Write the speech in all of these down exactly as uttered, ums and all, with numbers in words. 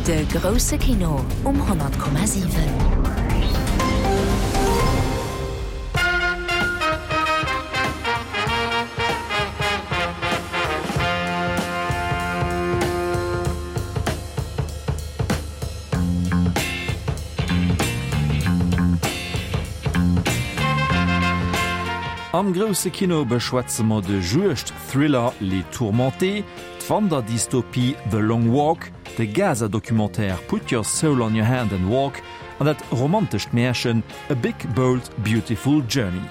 De grousse Kino um honnert Komma siwen. Am grousse Kino beschwätze mer de Juegd-Thriller Les Tourmentés, d'Wanderdystopie The Long Walk, de Gaza-Documentaire Put Your Soul on Your Hand and Walk an dat romantescht Märchen A Big Bold Beautiful Journey.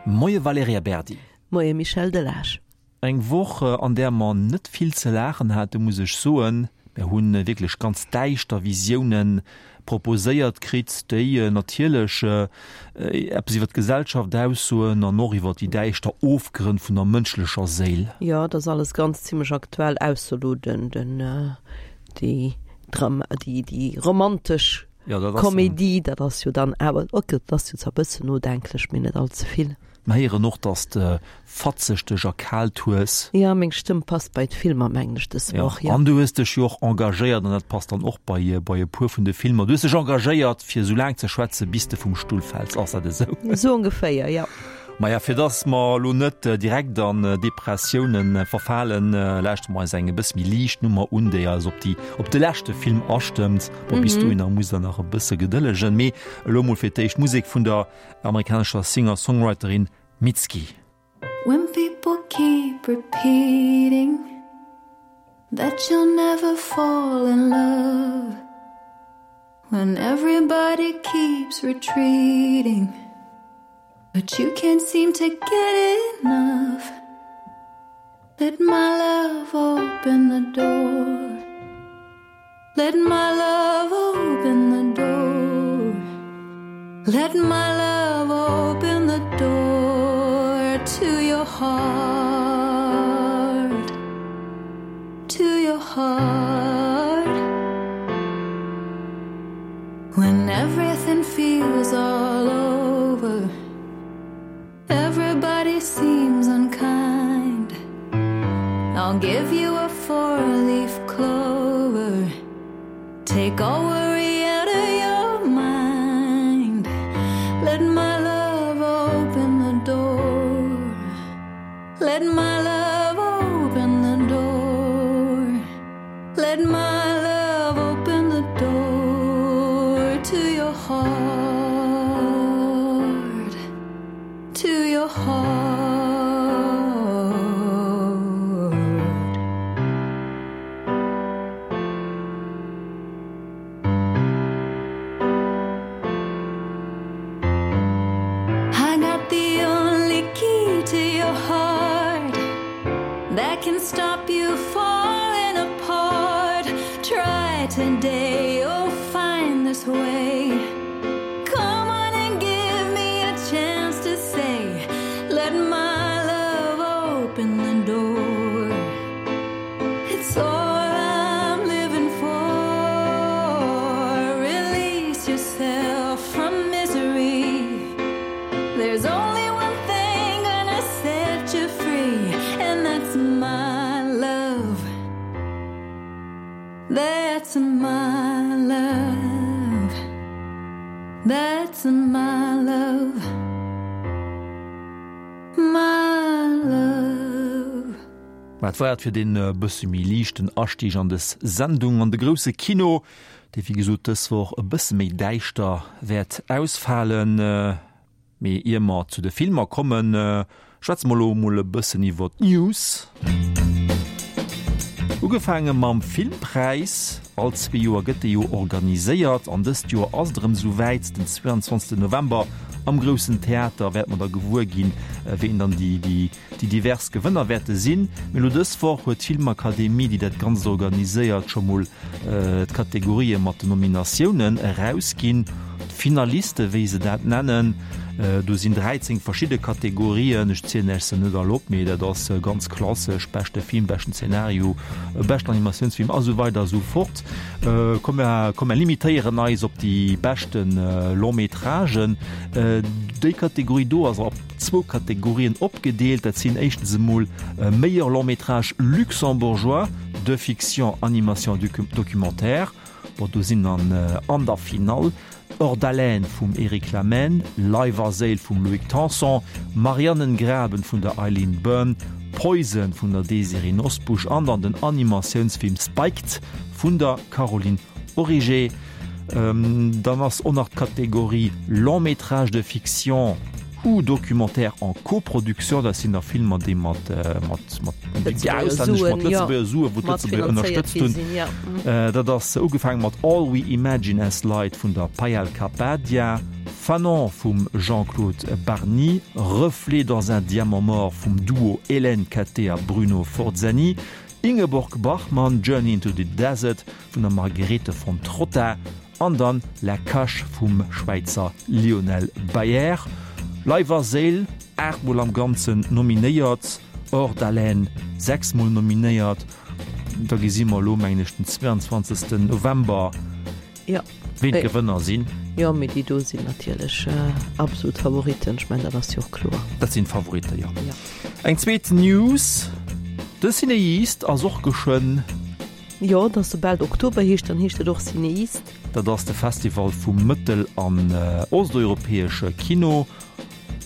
Moie Valerija Berdi. Moie Michel Delage. Eng Woch, an där mer net vill ze laachen haten, muss ech soen. Mir hu wierklech ganz däischter Visiounen proposéiert kritt, déi natierlech eppes iwwer d'Gesellschaft aussoen an och iwwer déi däischter Ofgrënn vun der mënschlecher Séil. Jo, et ass alles ganz zimlech aktuell, ausser elo den, den, déi Dram, déi, déi romantesch Komedie, dat ass jo dann awer, ok, dat ass jo zwar e bëssen nodenklech, mee net all ze vill. Mer héieren och, dass de fatzeg dech erkaalt hues. Jo, meng Stëmm passt bei d'Filmer, mengen ech, dës Woch, jo. An du hues dech jo och engagéiert, an dat passt dann och bei bei e puer vun de Filmer, du hues dech engagéiert, fir esou laang ze schwätzen, bis de vum Stull fäls. Ass dat esou? Esou ongeféier, jo. Maja, fir dass mer elo net direkt an Depressiounen verfalen, lauschtere mer eis eng e bësse méi liicht Nummer un, déi eis op déi op de leschte Film astëmmt. Bon, bis dohinner musst der nach e bësse gedëllegen, mee elo mol fir d'éischt Musek vun der amerikanescher Singer-Songwriterin Mitski. When people keep repeating that you'll never fall in love When everybody keeps retreating But you can't seem to get enough Let my love open the door Let my love open the door Let my love open the door to your heart To your heart When everything feels all over Everybody seems unkind I'll give you a four-leaf clover Take all worry out of your mind Let my love open the door Let my love open the door Let my love open the door to your heart To your heart I got the only key to your heart That can stop you falling apart Try today, you'll find this way Come on and give me a chance to say Let my love open the door It's all I'm living for Release yourself from misery There's only one thing gonna set you free And that's my love That's my love That's my love My love Dat war et fir deen e bësse méi liichten Astieg an des Sendung an de grousse Kino, dee wéi gesot dës Woch e bësse méi däischter wäert ausfalen. Mee ier mer zu de Filmer kommen, schwätze mer elo emol e bëssen iwwer d'News. Ugefaange mam Filmpräis. All zwee Joer gëtt dee jo organiséiert an dëst Joer ass et erëm esou wäit. Den zweiundzwanzegsten November am Groussen Theater wäerte mer da gewuer ginn, ween dann déi déi divers Gewënner wäerte sinn. Mee elo dës Woch huet d'Filmakademie, déi dat Ganzt organiséiert, scho mol d'Kategorië mat den Nominatiounen erausginn. D'Finaliste, wéi se dat nennen, Do sinn dräizéng verschidde Kategorien, ech zielen Iech se net all op, mee dat ass ganz klassesch, beschte Film, beschten Zenario, beschten Animatiounsfilm a sou weider a sou fort. Komm mer, komm mer limitéieren eis op déi beschte Long-métragen. Déi Kategorie do ass op zwou Kategorien opgedeelt. Dat sinn éischtens emol meilleur long-métrage luxembourgeois de fiction, animation, documentaire. Bon, do sinn dann an der Finall Hors d'haleine vum Eric Lamaine, Leif a Séil vum Loïc Tanson, Mariannengraben vun der Eileen Byrne, Poison vun der Désirée Nosbusch an dann den Animatiounsfilm Spiked vun der Caroline Origer. Dann ass och nach d'Kategorie Long métrage de fiction ou documentaire en coproduction, dat sinn da Filmer, déi mat, mat, mat, déi auslännesch, mat Lëtzebuerger Suen, wou d'Lëtzebuerger ënnerstëtzt hunn. Dat ass ugefaange mat All We Imagine As Light vun der Payal Kapadia, Fanon vum Jean-Claude Barny, Reflets dans un diamant mort vum Duo Hélène Cattet a Bruno Forzani, Ingeborg Bachmann, Journey into the Desert vun der Margarethe von Trotta an dann La Cache vum Schwäizer Lionel Baier. Leif a Séil, aacht Mol am Ganzen nominéiert, Hors d'haleine sechs Mol nominéiert. Da gesi mer elo, mengen ech, den zweiundzwanzegsten November, ween d'Gewënner sinn. Jo, mee déi do sinn natierlech absolut Favoritten. Ech mengen, dat ass jo och kloer. Dat sinn d'Favoritten, jo. Eng zweet News, De CinEast ass och geschwënn. Jo, et ass soubal et Oktober heescht, dann heescht et och CinEast. Dat ass de Festival vum mëttel an osteuropäesche Kino.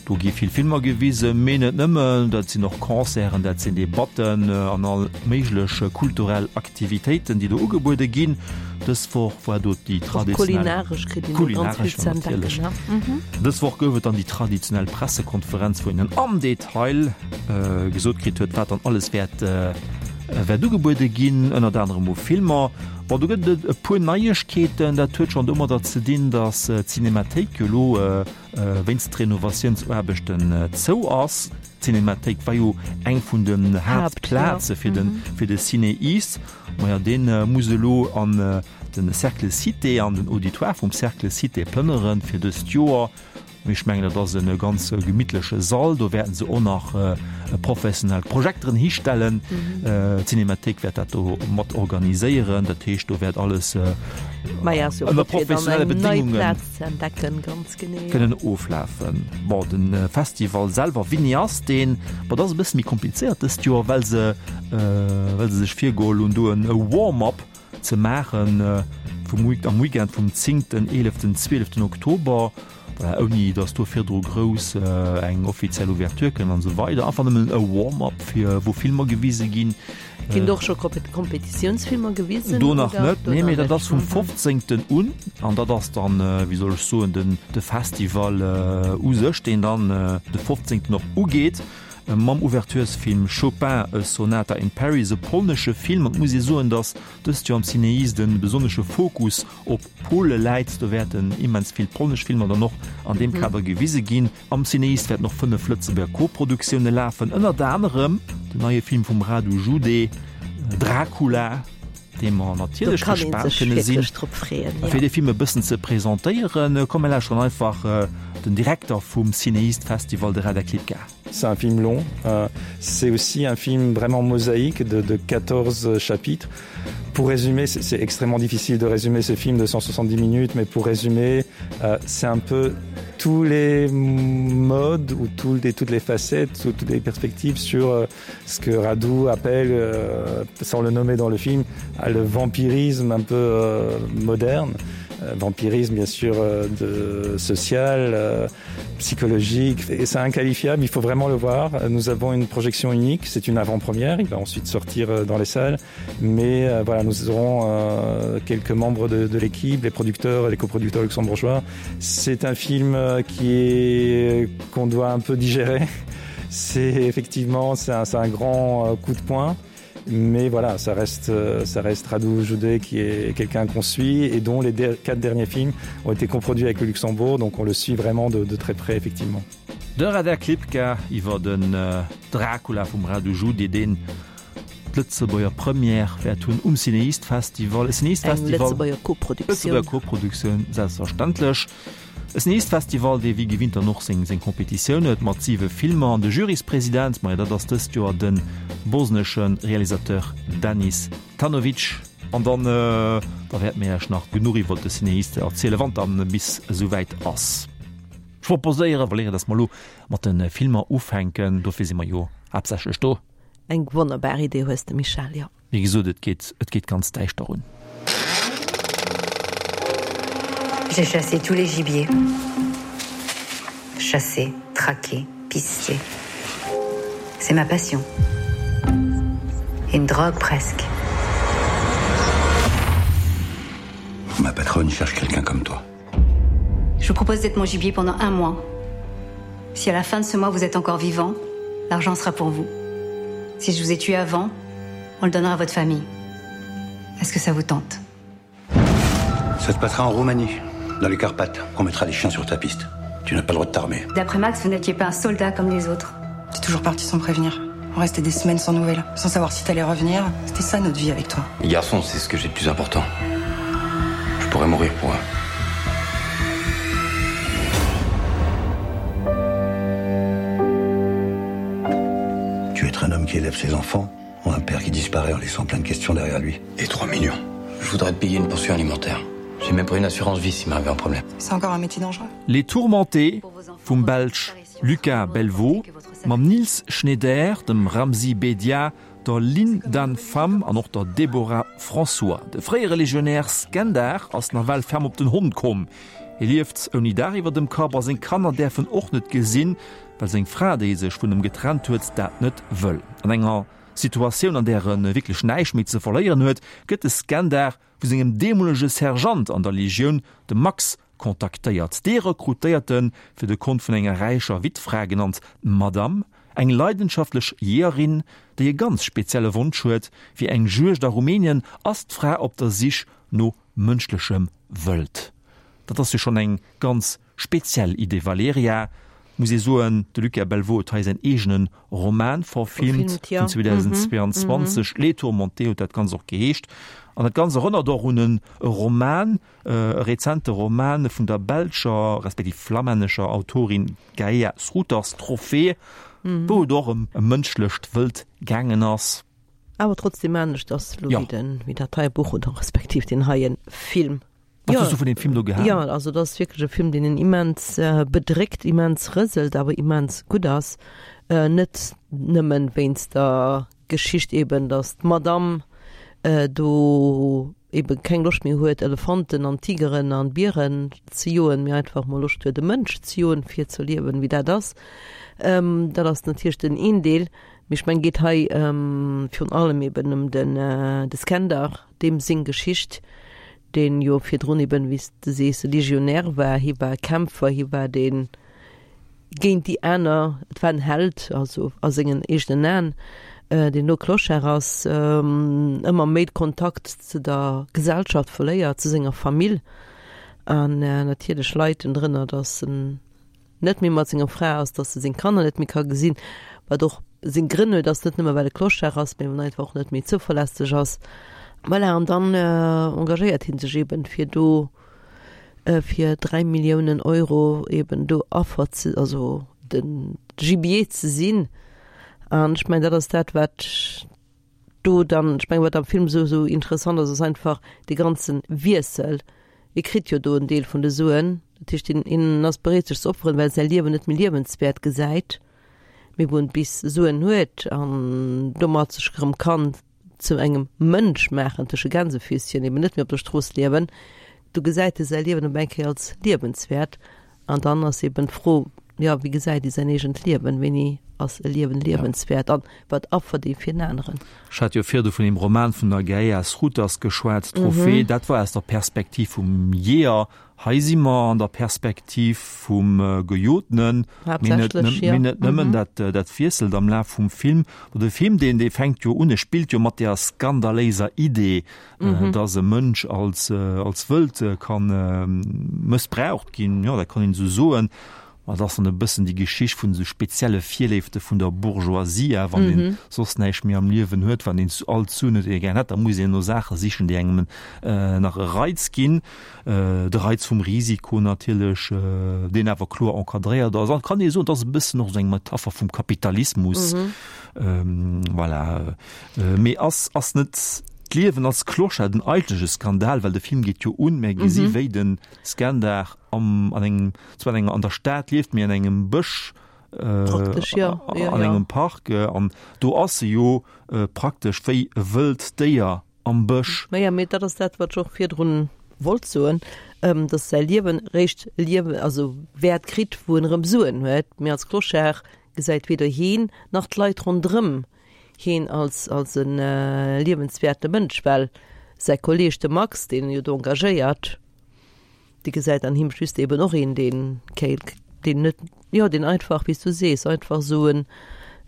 Do gi vill Filmer gewisen, mee net nëmmen. Dat sinn och Concerten, dat sinn Debatten an all méiglech kulturell Aktivitéiten, déi do ugebuede ginn. Dës Woch war do déi traditionell. Och kulinaresch kritt een do ganz vill ze entdecken, ne? Dës Woch gouf et dann déi traditionell Pressekonferenz, wou een dann am Detail gesot kritt huet, wat dann alles wäert wäert ugebuede ginn, ënnert anerem u Filmer. Bon, do gëtt et e puer Neiegkeeten. Dat huet schonn domadder ze dinn, datt d'Cinemathéik jo elo wéinst Renovatiounsaarbechten zou ass. D'Cinemathéik war jo eng vun den Haaptplaze fir de fir de CinEast. Maja, dee muss elo an de Cercle Cité, an den Auditoire vum Cercle Cité plënnere fir dëst Joer. Mee ech mengen, dat ass e ganz gemittleche Sall. Do wäerten se och nach professionell Projekteren histellen. D'Cinémathéik wäert dat do mat organiséieren. Dat heescht, do wäert alles ënner professionelle Bedéngunge kënnen oflafen. Bon, de Festival selwer, wéini ass deen? Bon, dat ass e bësse méi komplizéiert dëst Joer, well se, well se sech virgeholl hunn, do e Warm-up ze maachen vum, am Weekend vum zéngten, eeleften, zwieleften Oktober. Voilà, ouni datt do virdru grouss eng offiziell Ouverture kënnt an esou weider. Einfach nëmmen e Warm-up fir wou Filmer gewise ginn. Ginn do och scho Kompetitiounsfilmer gewisen? Do nach net, nee, mee dat ass vum fofzéngten un an dat ass dann, wéi soll ech soen, den de Festival u sech, deen dann de fofzéngten och ugeet mam Ouverturesfilm Chopin, A Sonata in Paris, e polnesche Film. An et muss ee soen, datt dëst Joer am CinEast e besonnesche Fokus op Pole läit. Do wäerten immens vill polnesch Filmer dann och an deem Kader gewise ginn. Am CinEast wäerten och fënnef Lëtzebuerger Koproduktioune lafen, ënnert anerem den neie Film vum Radu Jude, Dracula, dee mer natierlech gespaant kënne sinn. A fir dee Film e bëssen ze presentéieren, komm mir lauschteren einfach den Direkter vum CinEast Festival, de Radek Lipka. C'est un film long, euh, c'est aussi un film vraiment mosaïque de, de quatorze chapitres. Pour résumer, c'est extrêmement difficile de résumer ce film de cent soixante-dix minutes, mais pour résumer, euh, c'est un peu tous les modes ou tous les, toutes les facettes ou toutes les perspectives sur euh, ce que Radou appelle, euh, sans le nommer dans le film, le vampirisme un peu euh, moderne. Euh, vampirisme bien sûr euh, de social, euh, psychologique et c'est inqualifiable, il faut vraiment le voir. Nous avons une projection unique, c'est une avant-première, il va ensuite sortir euh, dans les salles, mais euh, voilà, nous aurons euh, quelques membres de, de l'équipe, les producteurs et les coproducteurs luxembourgeois. C'est un film euh, qui est qu'on doit un peu digérer. C'est effectivement c'est un, un grand euh, coup de poing mais voilà ça reste euh, ça reste Radou Joudé qui est quelqu'un qu'on suit et dont les quatre derniers films ont été coproduits avec le Luxembourg donc on le suit vraiment de, de très près effectivement. De Radek Lipka iwwer den Dracula vum Radu Jude, deen d'Lëtzebuerger Première wäert hunn um CinEast Festival. E CinEast Festival. Eng Lëtzebuerger Koproduktioun. Lëtzebuerger Koproduktioun, selbstverständlech. E Cineast-Festival, dee wéi gewinnt dann och seng seng Competitioun huet mat siwe Filmer. An de Juryspresident, majo dat ass dëst Joer de bosnesche Realisateur Danis Tanovic. An dann, da wäerte mir Iech nach genuch iwwer de Cineast erzielen, wann dann bis esouwäit ass. Ech proposéiere, Valerija, dass mer elo mat de Filmer ufänken. Dofir si mer jo haaptsächlech do. Eng wonnerbar Idee hues de, Michèle, jo. Wéi gesot, et geet, et geet ganz däischter un. J'ai chassé tous les gibiers. Chassé, traqué, pisté. C'est ma passion. Une drogue presque. Ma patronne cherche quelqu'un comme toi. Je vous propose d'être mon gibier pendant un mois. Si à la fin de ce mois vous êtes encore vivant, l'argent sera pour vous. Si je vous ai tué avant, on le donnera à votre famille. Est-ce que ça vous tente Ça se passera en Roumanie, dans les Carpates. On mettra les chiens sur ta piste. Tu n'as pas le droit de t'armer. D'après Max, vous n'étiez pas un soldat comme les autres. T'es toujours parti sans prévenir. On restait des semaines sans nouvelles, sans savoir si t'allais revenir. C'était ça notre vie avec toi. Les garçons, c'est ce que j'ai de plus important. Je pourrais mourir pour eux. Tu veux être un homme qui élève ses enfants ou un père qui disparaît en laissant plein de questions derrière lui. Et trois millions. Je voudrais te payer une pension alimentaire. J'ai même pris une assurance vie s'il m'arrivait un problème. C'est encore un métier dangereux. Les Tourmentés vum Belsch Lucas Belvaux mam Niels Schneider, dem Ramzy Bedia, der Linh Dan Pham an och der Déborah François. De fréiere Legionär Skender ass nawell ferm op den Hond komm. Hie lieft ouni Daach iwwer dem Kapp a seng Kanner däerf en och net gesinn, well seng Fra, déi sech vun em getrennt huet, dat net wëll. An enger Situatioun, an där e wierklech näischt méi ze verléieren huet, gëtt de Skender vu sengem deemolege Sergeant an der Legioun, dem Max, kontaktéiert. Dee rekrutéiert en fir de Kont vun enger räicher Wittfra, genannt d'Madame, eng leidenschaftlech Jeeërin, déi e ganz spezielle Wonsch huet, Fir eng Juegd a Rumänien ass d'Fra op der Sich no mënschlechem Wëld. Dat ass jo schonn eng ganz speziell Idee, Valerija. Muss ee soen, de Lucas Belvaux huet hei säin eegene Roman verfilmt vun zweedausendzweeanzwanzeg, Les Tourmentés huet dat Ganzt och geheescht. An dat Ganzt erënnert och un e Roman, e rezente Roman vun der belscher respektiv flammännescher Autorin Gaea Srouters, Trophée, wou et och ëm e mënschlecht Wëld gaangen ass. Awer trotzdem anescht ass elo wéi den, wéi dat heie Buch oder respektiv deen heie Film. Wat hues du vun deem Film do gehalen? Jo, also dat ass wierklech e Film, deen een immens bedréckt, immens rëselt, awer immens gutt ass. Net nëmmen wéinst der Geschicht eben, datt d'Madame do eben keng Loscht méi huet, Elefanten an Tigeren an Bieren ze joen, mee einfach mol Loscht huet, e Mënsch ze joen, fir ze erliewen, wéi dat ass. Dat ass natierlech den een Deel. Mee ech mengen, et geet hei virun allem eben ëm den de Skender, deem seng Geschicht, deen jo virdrun eben, wéi s de sees, e Legionär war. Hie war e Kämpfer, hie war dee géint déi aner, et war en Held, also a sengen eegenen Aen, deen elo Clochard ass, ëmmer méi de Kontakt zu der Gesellschaft verléiert, zu senger Famill. An natierlech leit en drënner, datt en net méi mat senger Fra ass, datt e seng Kanner net méi ka gesinn, wat och seng Grënn huet, ass net nëmme well e Clochard ass, mee well en einfach och net méi zouverlässeg ass. Voilà, an dann engagéiert hie sech eben, fir do fir dräi Milliounen Euro eben do Affer ze, also de Gibier ze sinn. An ech mengen, dat ass dat, wat do dann, ech mengen, wat am Film esou esou interessant ass, ass einfach dee ganze Wiessel. E kritt jo do en Deel vun de Suen, dat heescht, hien, hien ass bereet sech ze opferen, well e säi Liewen net méi liewenswäert gesäit, mee wou en bis Suen huet an domat sech erëm kann zu engem Mënsch maachen, tësche Gänsefüßchen, eben net méi op der Strooss liewen, do gesäit e säi Liewen op eng Kéier als liewenswäert. An dann ass eben d'Fro, jo, wéi gesäit ee säin eegent Liewen, wéini ass e Liewen liewenswäert an wat affert ee fir en aneren? Ech hat jo virdu vun deem Roman vun der Gaea Srouters geschwat, Trophée. Dat war aus der Perspektiv vum Jeeër. Hei si mer an der Perspektiv vum Gejotenen, mee net mee net nëmmen, dat dat wiesselt am Laf vum Film. De Film, deen dee fänkt jo un, e spillt jo mat deer skandaléiser Idee, dass e Mënsch als als Wëld ka mëssbraucht ginn, jo, dat kann een esou soen. Ma et ass dann e bëssen déi Geschicht vun esou spezielle Virléifte vun der Bourgeoisie, wann een soss näischt méi am Liewen huet, wann een all d'Suen huet, déi ee gär hätt, da muss een no Saache sichen, déi engem nach e Reiz ginn. De Reiz vum Risiko natierlech, deen awer kloer encadréiert ass. An et kann ee soen, et ass e bëssen och esou eng Metapher vum Kapitalismus. Voilà. Mee ass, ass net d'Liewen als Clochard den eigentleche Skandal? Well de Film geet jo un, mir gesi wéi de Skandar am, an engem, zwar an enger, an der Stad lieft, mee an engem Bësch, Praktesch, ja. Ja, an ja. engem Park. An do ass e jo praktesch wéi e wëllt Déier am Bësch. Maja, mee dat ass dat, wat ech och virdrun wollt soen, dass säi Liewen eréischt Liewen, also Wäert kritt, wou en erëm Suen huet. Mee als Clochard gesäit weder hien nach d'Leit ronderëm hien als, als e liewenswäerte Mënsch, well säi Kolleeg, de Max, deen en jo do engagéiert, dee gesäit an him just eben och een, deen kéint, deen net, jo, deen einfach, wéi s du sees, einfach esou en,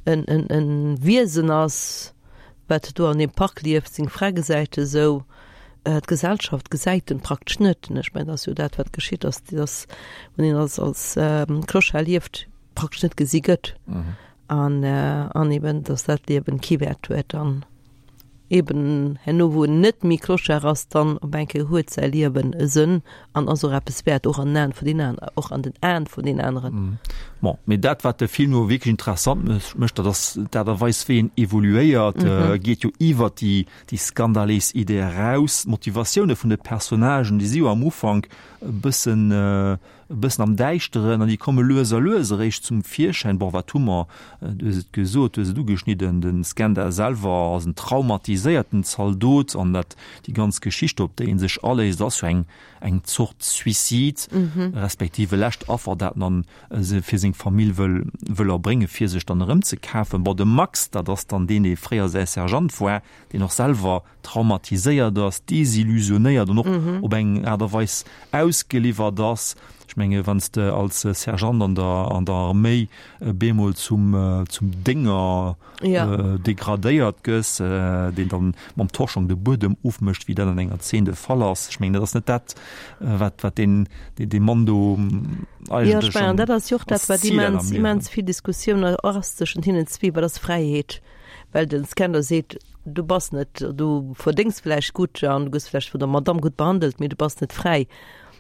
en, en, en Wiesen ass, wat do an deem Park lieft. Seng Fra gesäit e sou, d'Gesellschaft gesäit en praktesch net. Ech mengen, dat ass jo dat, wat geschitt ass, dass, wann een als, als Clochard lieft, praktesch net gesi gëtt. An, an eben, dass dat Liewen kee Wäert huet. An eben herno, wou en net méi Clochard ass, dann op eng Kéier huet säi Liewen e Sënn an ass och eppes wäert, och an den Aen vun den aner, och an den Aen vun den aneren. Bon, mee dat, wat de Film elo wierklech interessant mécht, dat ass d'Aart a Weis, wéi en evoluéiert. E geet jo iwwert déi, déi skandaléis Idee eraus. D'Motivatioune vun de Personnagen, déi si jo am Ufank e bëssen, e bëssen am Däischteren an déi komme lues a lues eréischt zum Virschäin. Bon, wat hu mer? Du hues et gesot, du hues et ugeschnidden, de Skender selwer ass en traumatiséierten Zaldot an dat, déi ganz Geschicht, op déi en sech aléisst, ass jo eng, eng Zort Suicide, respektiv e lescht Affer, dat en dann fir seng Famill wëll, wëll erbréngen, fir sech dann erëmzekafen. Bon, de Max, dat ass dann deen, dee fréier säi Sergeant war, deen och selwer traumatiséiert ass, desillusionéiert an och op eng Aart a Weis ausgeliwwert ass. Ech menge wann s de als Sergeant an der an der Arméi bemol zum zum Dénger degradéiert gëss, deen dann mam Torschong de Buedem ofmécht, wéi dat an enger Zeen de Fall ass, ech mengen dat ass net dat, wat wat deen dee Mann do eigentlech am Dat ass jo och dat, wat immens immens vill Diskussioun ass tëschent hinnen zwee, wat ass Fräiheet? Well den Skender seet, du bass net, du verdéngs vläicht gutt an du gëss vläicht vun der Madamm gutt behandelt, mee du bass net fräi.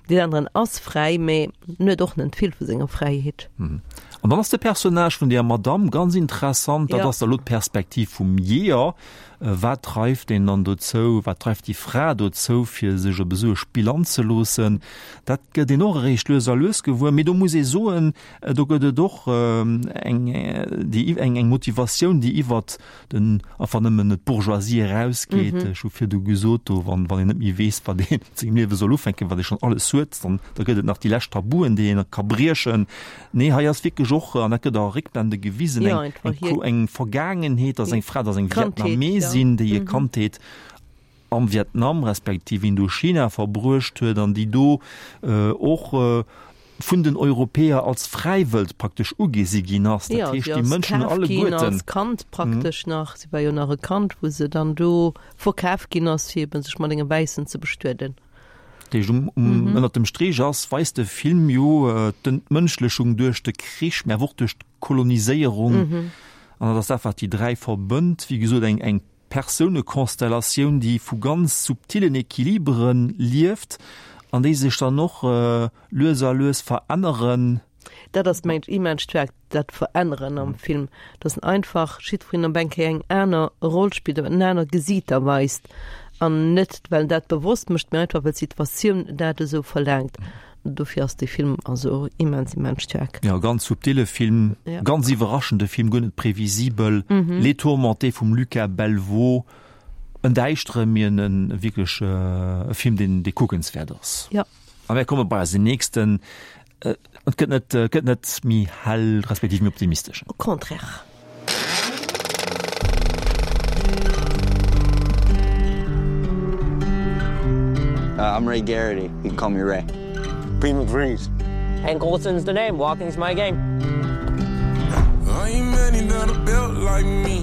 Deen aneren ass fräi, mee en huet och net vill vu senger Fräiheet. An dann ass de Personnage vun deeër Madamm ganz interessant. Dat ass da lo d'Perspektiv vum Jeeër. Wat dreift deen dann dozou, wat dreift déi Fra dozou, fir sech op esou e Spill anzeloossen? Dat gëtt een och eréischt lues a lues gewuer. Mee do muss ee soen, do gëtt et och eng, déi, eng, eng Motivatioun, déi iwwert den einfach nëmmen d'Bourgeoisie erausgeet. Ech hu virdu gesot, do wann, wann een net méi weess, wat ee mat sengem Liewe soll ufänken, wat ee schonn alles huet, dann da gëtt et nach déi lescht Tabuen, déi een ka briechen. Nee, hei ass wierklech och, an dat gëtt a Réckblende gewisen, eng, eng, eng Vergaangenheet, dass eng Fra, dass eng Vietnamesin, déi hir Kandheet am Vietnam respektiv Indochina verbruecht huet an déi do och vun den Europäer als Fräiwëld praktesch ugesi ginn ass. Dat heescht, déi Mënschen hunn alleguerten. Als Kand praktesch nach, si war jo nach e Kand, wou se dann do verkaf ginn ass, fir eben sech mat engem Wäissen ze bestueden. Dat heescht, um, um, ënnert dem Streech ass, weist de Film jo d'Entmënschlechung duerch de Krich, mä awer och duerch d'Koloniséierung. An dat ass dat, wat déi dräi verbënnt. Wéi gesot, eng, eng Persounekonstellatioun, déi vu ganz subtillen Equilibere lieft an déi sech dann och lues a lues veränneren. Dat ass, mengen ech, immens staark, dat Veränneren am Film, dass en einfach jiddwereen op eng Kéier eng aner Roll spillt oder en aner Gesiiter weist an net, well en dat bewosst mécht, mee einfach, well d'Situatioun dat esou verlaangt. Dofir ass dee Film also immens, immens staark. Jo, ganz subtile Film, ganz iwwerraschende Film, guer net previsibel. Les Tourmentés vum Lucas Belvaux, en däischtere, mee en wierklech e Film, deen dee kuckenswäert ass. Jo. A mir komme bei eisen nächsten. Et gëtt net, gëtt net méi hell, respektiv méi optimistesch. Au contraire. I'm Ray Garrity. You can call me Ray. Primo Breeze. Hank Olson's the name. Walking's my game. I ain't many that are built like me.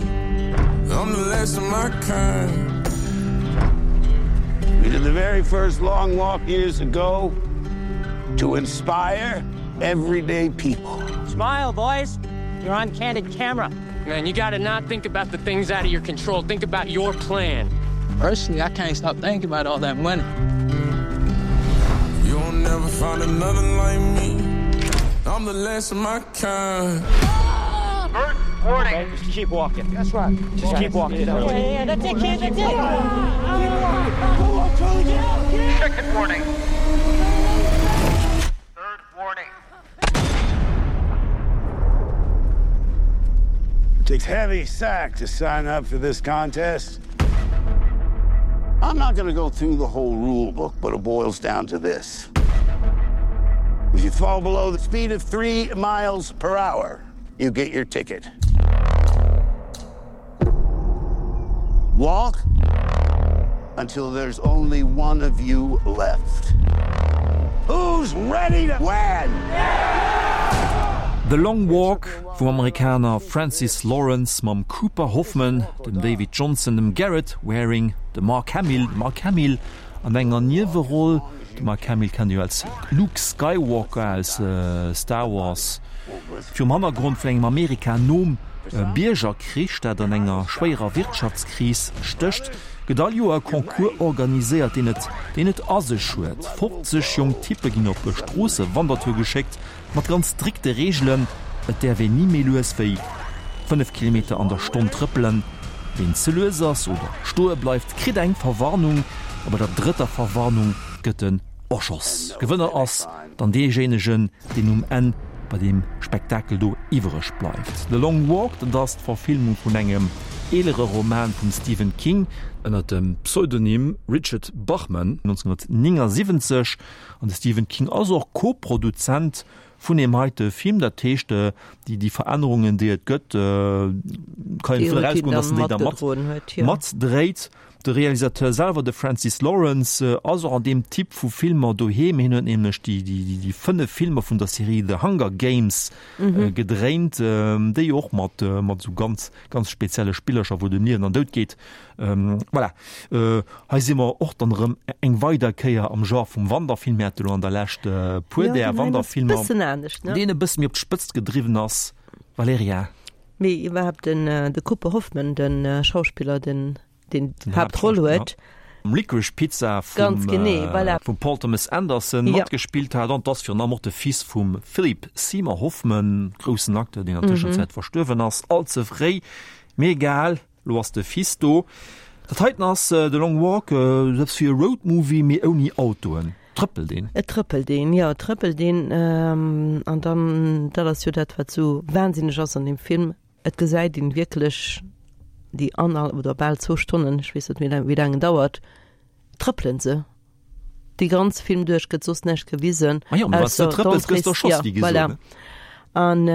I'm the last of my kind. We did the very first long walk years ago to inspire Everyday people. Smile, boys. You're on candid camera. Man, you gotta not think about the things out of your control. Think about your plan. Personally, I can't stop thinking about all that money. You'll never find another like me. I'm the last of my kind. First warning. Okay, just keep walking. That's right. Just keep walking. Yeah, yeah, that's it, kid. That's it. Keep walking. Go on, Charlie. Get out. Get out. Second warning. Third warning. It takes heavy sack to sign up for this contest. I'm not going to go through the whole rule book, but it boils down to this. If you fall below the speed of three miles per hour, you get your ticket. Walk until there's only one of you left. Who's ready to win? The Long Walk vum Amerikaner Francis Lawrence mam Cooper Hoffman, dem David Johnson, dem Garrett Wareing, dem Mark Hamill, de Mark Hamill an enger Nieweroll, de Mark Hamill kennt Dir jo als Luke Skywalker aus Star Wars, virum Hannergrond vun engem Amerika nom Biergerkrich, dat an enger schwéierer Wirtschaftskris stécht, gëtt all Joer e Concours organiséiert, deen et deen et a sech huet. fofzeg jonk Typpe ginn op e Stroosse-Wandertour geschéckt, mat ganz strikte Reegelen, Et däerf een ni méi lues wéi fënnef Kilometer an der Stonn trëppelen. Ween ze lues ass oder stoe bleift, kritt eng Verwarnung a bei der drëtter Verwarnung gëtt en erschoss. Gewënner ass dann deejéinegen, deen um Enn bei deem Spektakel do iwwereg bleift. The Long Walk, dat ass d'Verfilmung vun engem eelere Roman vum Stephen King ënner dem Pseudonym Richard Bachman, nonzénhunnertnéngasiwwenzeg. An de Stephen King ass och Co-Produzent vun deem heite Film. Dat heescht, déi déi Verännerungen, déi et gëtt, kann een dovun erausgoen, datt en déi da mat matdréit. De Realisateur selwer, de Francis Lawrence, ass och an deem Typ vu Filmer doheem. Hien huet nämlech déi, déi, déi fënnef Filmer vun der Serie The Hunger Games gedréint, déi och mat, mat esou ganz, ganz spezielle Spillercher, wou et ëm Liewen an Doud geet. Voilà, hei si mer och dann erëm eng weider Kéier am Genre vum Wanderfilm. Mir hate lo an der Lescht e puer där Wanderfilmer, deen e bësse méi op d'Spëtzt gedriwwen ass. Valerija. Mee iwwerhaapt den, de Cooper Hoffman, de Schauspiller, den deen d'Haaptroll huet. Licorice Pizza vum, voilà. vum Paul Thomas Anderson ja. matgespillt hat an ass virun allem och de Fils vum Philip Seymour Hoffman, groussen Acteur, deen an der mhm. Tëschenzäit verstuerwen ass, all ze fréi. Mee egal, lo ass de Fils do. Dat heiten ass äh, The Long Walk, äh, selbst fir e Roadmovie, mee ouni Autoen. Trëppelt een. Et trëppelt een, jo, et trëppelt een. Ähm, an dann, dat ass jo dat, wat sou wahnsinneg ass an dem Film, Et gesäit een wierklech déi annerhal oder bal zwou Stonnen, ech weess net méi wéi laang en dauert, trëppelen se dee ganz Film duerch, gëtt soss näischt gewisen. Ah jo, mä wann s de trëppels, gëss de erschoss, wéi gesot, voilà. An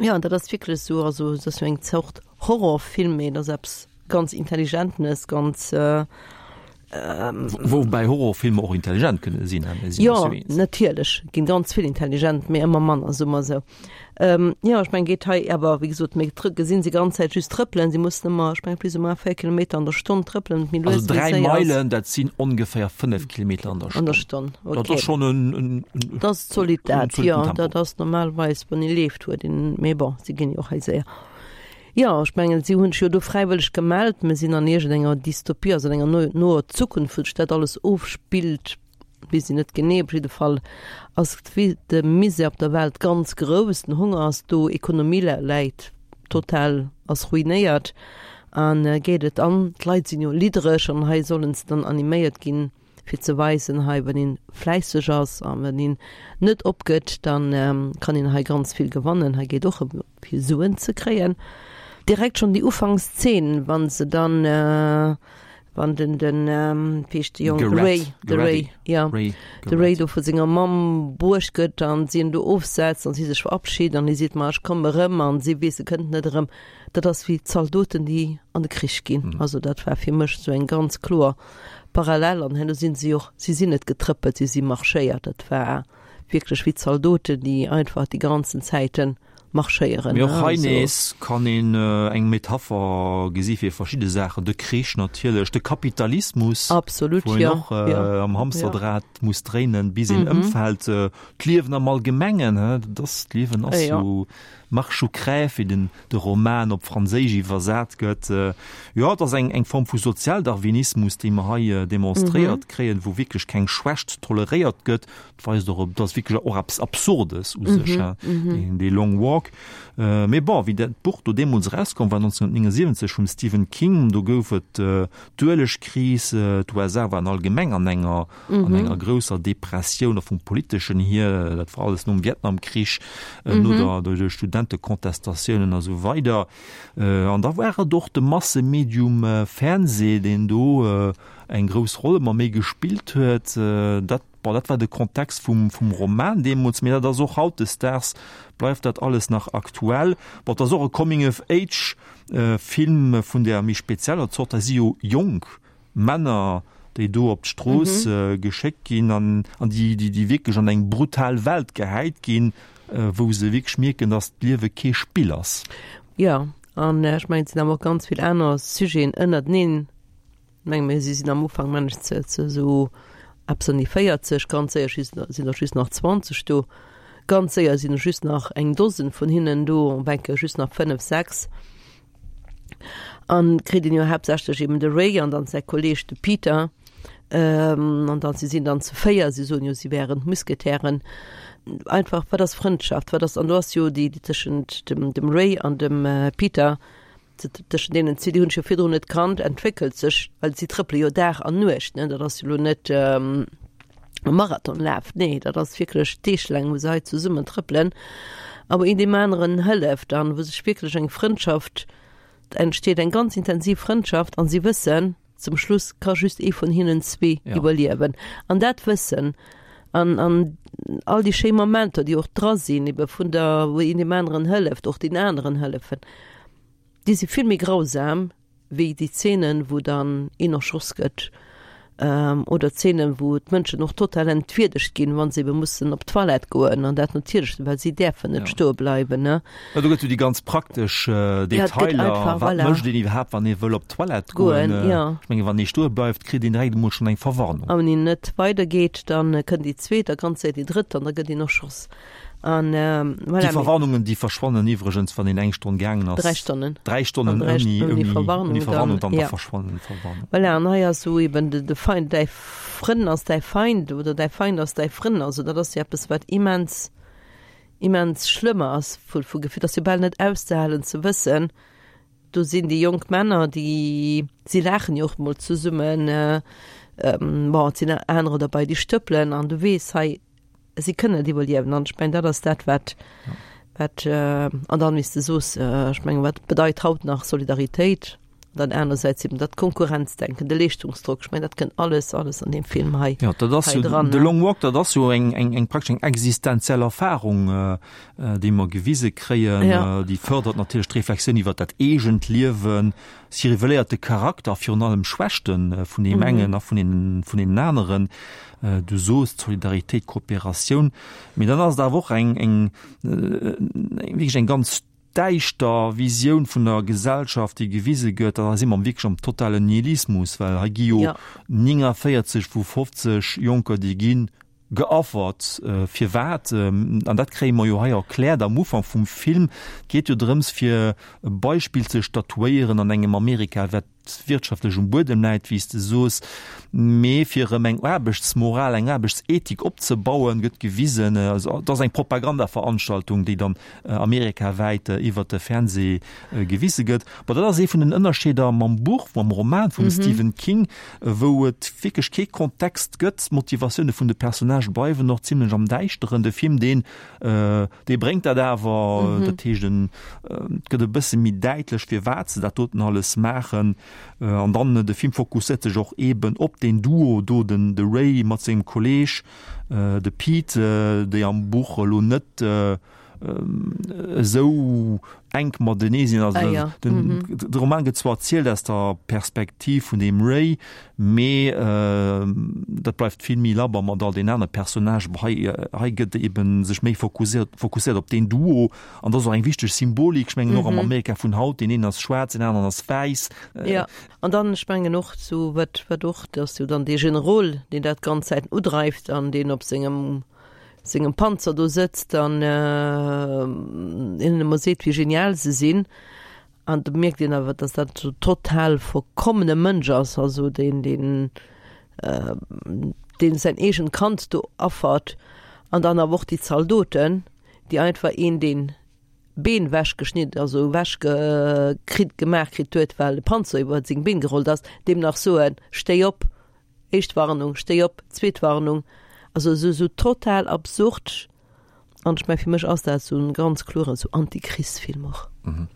jo, an dat ass wierklech esou, also et ass jo eng Zort Horrorfilm, mee et ass eppes ganz Intelligentenes, ganz Woubäi Horrorfilmer och intelligent kënne sinn, hein, mir sinn Jo, eis jo eens. natierlech ginn ganz vill intelligent, mee ëmmer manner, soe mer esou. Jo, ech mengen, geet hei awer, wéi gesot, mir gesinn se ganz Zäit just trëppelen. Si mussen ëmmer, ech mengen, plus ou moins véier Kilometer an der Stonn trëppelen, méi lues, Also méi dräi séier ass. Meilen, dat sinn ongeféier fënnef Kilometer an der An der Stonn. Stonn, Dat okay. ass schonn en, en, en, Dat ass zolidd en dat, zolitten jo, Tempo. dat ass normalerweis, wann ee leeft, huet een, mee bon, si ginn jo och hei séier. Jo, ech mengen, si hunn sech jo do fräiwëlleg gemellt. Mir sinn an iergendenger Dystopie, also an enger no noer Zukunft, wou sech dat alles ofspillt, weess een net genee. Op jidde Fall ass de Misär op der Welt ganz grouss, den Honger ass do, Ekonomie läit total, ass ruinéiert a geet et an. D'Leit sinn jo liddereg an hei sollen se dann animéiert ginn, fir ze weisen, hei wann een fläisseg ass a wann een net opgëtt, dann kann een hei ganz vill gewannen. Hei geet och ëm fir Suen ze kréien. Direkt schonn déi Ufankszeen, wann se dann, wann den den wéi heescht de Jong, de Ray, de Ray, jo, de Ray do vu senger Mamm bruecht gëtt an si en do ofsetzt an si sech verabschid an hie seet, ma ech komme erëm an si weess, e kënnt net erëm. Dat ass wéi d'Zaldoten, déi an de Krich ginn. Also dat war fir mech esou eng ganz kloer Parallel an herno sinn si och, si sinn net getrëppelt, si si marschéiert. Dat war wierklech wéi Zaldoten, déi einfach déi ganzen Zäiten marschéieren. Mee och hei nees kann een eng Metapher gesi fir verschidde Saachen, de Krich natierlech, de Kapitalismus, Absolut, wou een jo, och jo, am jo. Hamsterdraht muss dréinen, bis een ëmfält, d'Liewen am Allgemengen, he, dat ass, d'Liewen ass Jo. jo Marche ou crève, wéi den de Roman op Franséisch iwwersat gëtt. Jo, et ass eng eng Form vu Sozialdarwinismus, déi mer hei demonstréiert kréien, wou wierklech keng Schwächt toleréiert gëtt. Et weist och op, et ass wierklech och eppes Absurdes u sech, he, deen dee Long Walk. Mee bon, wéi dat Buch do deemools erauskomm war, neunzehnhundertneunundsiwwenzeg vum Stephen King, do gouf et d'Uelegkris, d'U S A waren allgemeng an enger an enger grousser Depressioun, och vum Politeschen hier, dat war alles nom Vietnamkrich, no der de Studentecontestatiounen a sou weider. An da war et och de Massemedium Fernseh, deen do eng grouss Roll ëmmer méi gespillt huet. Dat, bon, dat war de Kontext vum, vum Roman deemools, mee dat ass och hautdesdaags, bleift dat alles nach aktuell. Bon, et ass och e Coming-of-Age-Film vun der méi spezieller Zort, dat si jo jonk Männer, déi do op d'Strooss geschéckt ginn an, an déi, déi, déi wierklech an eng brutal Welt gehäit ginn, wou se wierklech mierken, dass d'Liewe kee Spill ass. Jo, an ech mengen, et sinn awer och ganz vill aner Sujeten ënnerteneen. Ech menge mir, si sinn am Ufank, mengen ech, ze, ze esou eppes an déi véierzeg, ganz séier sinn der just nach zwanzeg do, ganz séier sinn just nach eng Dosen vun hinnen do, op eng Kéier just nach fënnef, sechs. An kritt een jo haaptsächlech eben de Ray an dann säi Kolleeg de Peter. An dann, si sinn dann zu véier, si soen jo, si wären d'Musketären. Einfach, wat ass Frëndschaft, wat ass, an do ass jo déi, déi tëschent dem, dem Ray an dem Peter, tëschent deenen zwee, déi hunn sech jo virdrun net kannt, entwéckelt sech, well si trëppele jo Dag an Nuecht, ne, dat ass jo elo net e Marathonlaf, nee, dat ass wierklech deeglaang, wou se hei zesummen trëppelen, a wou een deem aneren hëlleft an wou sech wierklech eng Frëndschaft entsteet, eng ganz intensiv Frëndschaft, an si wëssen, zum Schluss ka just ee vun hinnen zwee iwwerliewen. An dat Wëssen an, an all déi schéi Momenter, déi och dra sinn, ebe vun der, wou een deem aneren hëlleft, och den aneren hëllefen, déi si vill méi grausam wéi déi Zeenen, wou dann een erschoss gëtt, oder Zeenen, wou d'Mënschen och total entwierdegt ginn, wa se ebe mussen op d'Toilette goen, an dat natierlech, well si däerfen net stoe bleiwen, ne. Jo, do gëtt jo déi ganz praktesch Detailer, wat mécht een iwwerhaapt, wann ee wëll op d'Toilette goen? Ech menge wann ee stoe bleift, kritt een direkt emol schonn eng Verwarnung. A wann een net weidergeet, da kënnt déi zweet a ganz séier déi drëtt an da gëtt een erschoss. An, voilà, Déi Verwarnungen, déi verschwannen iwwregens, wann een eng Stonn gaangen ass. Dräi Stonnen. Dräi Stonnen ouni, ouni Verwarnung, ouni Verwarnung, dann, da verschwannen d'Verwarnungen. Voilà, an hei ass esou eben de, de Feind, däi Frënn ass däi Feind oder däi Feind ass däi Frënn. Also dat ass jo eppes, wat immens, immens schlëmm ass vu, vu Gefill. Dat ass jo bal net auszehalen ze wëssen, do sinn déi jonk Männer, déi, si laachen jo och mol zesummen, bon, et sinn anerer derbei, déi stëppelen an du weess, hei, si kënnen net iwwerliewen an ech mengen dat ass dat wat wat an dann wéi s de soos, ech mengen wat bedeit haut nach Solidaritéit an dann anersäits eben dat Konkurrenzdenken, de Leeschtungsdrock, ech mengen dat kënnt alles alles an deem Film hei Jo, dat ass hei jo dran. de Long Walk, dat ass jo eng eng eng praktesch eng existenziell Erfahrung, déi mer gewise kréien. Ja. Déi fërdert natierlech d'Reflexioun iwwer dat eegent Liewen, si reveléiert de Charakter, virun allem d'Schwächte vun deem engen a vun deenen vun deenen aneren. Du soos Solidaritéit, Kooperatioun, mee dann ass et awer och eng, eng, wierklech eng ganz däischter Visioun vun der Gesellschaft, déi gewise gëtt. Da si mer wierklech am totalen Nihilismus, well hei gi jo néngunvéierzeg vu fofzeg Jonker, déi gi geaffert. Firwat? An dat kréie mer jo hei erkläert am Ufank vum Film. Et geet jo drëms, fir e Beispill ze statuéieren an engem Amerika, wat wirtschaftlech um Buedem läit, wéi s de soos, mee fir erëm eng Aarbechtsmoral, eng Aarbechtsethik opzebauen, gëtt gewisen, also et ass eng Propagandaveranstaltung, déi dann amerikawäit iwwert de Fernseh gewise gëtt. Bon, dat ass ee vun den Ënnerscheeder mam Buch, mam Roman vum Stephen King, wou et wierklech kee Kontext gëtt. D'Motivatioune vun de Personnagë bleiwen och zimlech am Däischteren. De Film, deen, dee bréngt dat awer, dat heescht, en, et gëtt e bësse méi däitlech, firwat se dat doten alles maachen. An dann de Film fokusséiert sech och eeben op deen Duo do, den de Ray mat sengem Kolleeg, de Pete, déi am Buch elo net esou enk matenee sinn. Also Ah, ja. den, Mhm. de Roman gëtt zwar erzielt aus der Perspektiv vun dem Ray, mee äh, dat bleift vill méi labber mat all den anere Personnagen. Hei, hei gëtt eben sech méi fokusséiert, fokusséiert op den Duo an dat ass och eng wichteg Symbolik, ech mengen och am Mhm. Amerika vun haut, deen een ass schwaarz, deen aneren ass wäiss. Äh, Ja, an dann ech mengen och zu wat wat och, dass jo dann dee Generol, deen dat ganz Zäit udreift an deen op sengem sengem Panzer do sëtzt an äh, hinnen ëmmer seet, wéi genial se sinn. An do mierkt een awer, dass dat so total verkommene Mënsch ass, also deen deen äh, deen säin eegent Kand do affert an dann awer och déi Zaldoten, déi einfach een den Been wechgeschnitt, also wechge kritt gemaach kritt huet, well de Panzer iwwer seng Been gerollt ass, deem nach soen, stéi op, éischt Warnung, stéi op, zweet Warnung. Also sou, sou total absurd. An ech meng, fir mech ass dat sou en ganz kloren sou Antichrist-Film och. Mhm.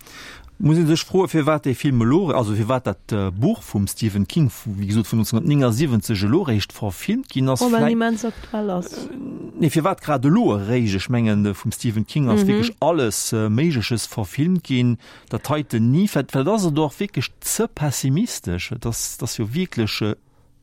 Muss een sech froe firwat dee Film elo, also firwat dat Buch vum Stephen King, wéi gesot vun neunzehnhundertneunundsiebzeg elo eréischt verfilmt ginn ass. Oh, well en Vläit immens aktuell ass. Nee, firwat grad elo eréischt? Ech mengen, vum Stephen King ass Mhm. wierklech alles Méigleches verfilmt ginn, dat heiten ni. Vläicht, vläicht ass et och wierklech ze pessimistesch. Et ass, et ass jo wierklech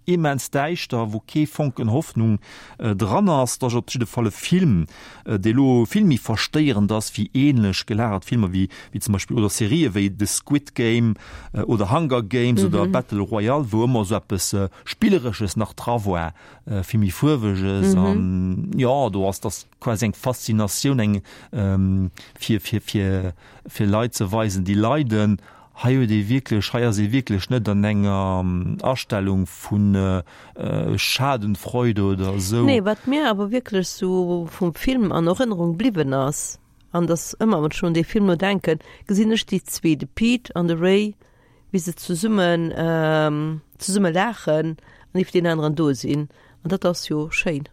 immens däischter, wou kee Fonken Hoffnung dran ass. Et ass op jidde Fall e Film, dee lo vill méi verstéierend ass wéi ähnlech gelagert Filmer wéi, wéi zum Beispill oder Serië wéi The Squid Game oder Hunger Games oder Battle Royale, wou ëmmer esou eppes Spilleresches nach dra war, vill méi Fuerweges an jo, do ass dass quasi eng Faszinatioun, eng fir, fir, fir, fir Leit ze weisen, déi leiden. Hei huet ee wierklech, hei ass ee wierklech net an enger Astellung vu Schadenfreude oder esou. Nee, wat mir awer wierklech sou vum Film an Erënnerung bliwwen ass, an dass ëmmer wann ech un dee Film elo denken, gesinn ech déi zwee, de Pete an de Ray, wéi se zesummen, zesumme laachen an ee fir deen aneren do sinn. An dat ass jo schéin.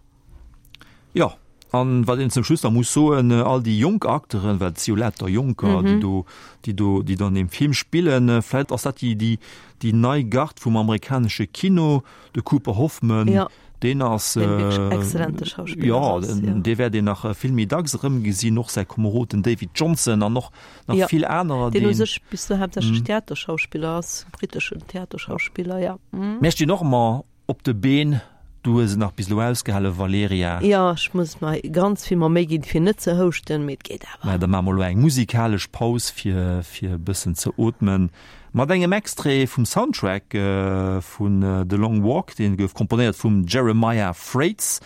Jo, an wat een zum Schluss nach muss soen, all déi jonk Acteuren, well et si jo lauter Jonker, déi do, déi do, déi do an deem Film spillen, vläicht ass dat déi, déi, déi nei Gard vum amerikanesche Kino, de Cooper Hoffman, Ja. deen ass, Deen wierklech exzellente Schauspiller jo, ass, ja. dee wäert een nach vill méi dacks erëmgesinn, och säi Komerod, den David Johnson an och nach Ja, vill anerer, deen u deen. sech bis elo haaptsächlech Theaterschauspiller ass, britteschen Theaterschauspiller, ja. Mä ech stinn och ëmmer Op de Been, du hues et nach bis elo ausgehale Valerija. Jo, ech muss mer ganz vill mer Méi ginn fir net ze houschten, mee et geet awer. Mä da maache mer elo eng musikalesch Paus fir fir e bëssen ze ootmen, mat engem Extrait vum Soundtrack vun The Long Walk, dee gouf komponéiert vum Jeremiah Fraites.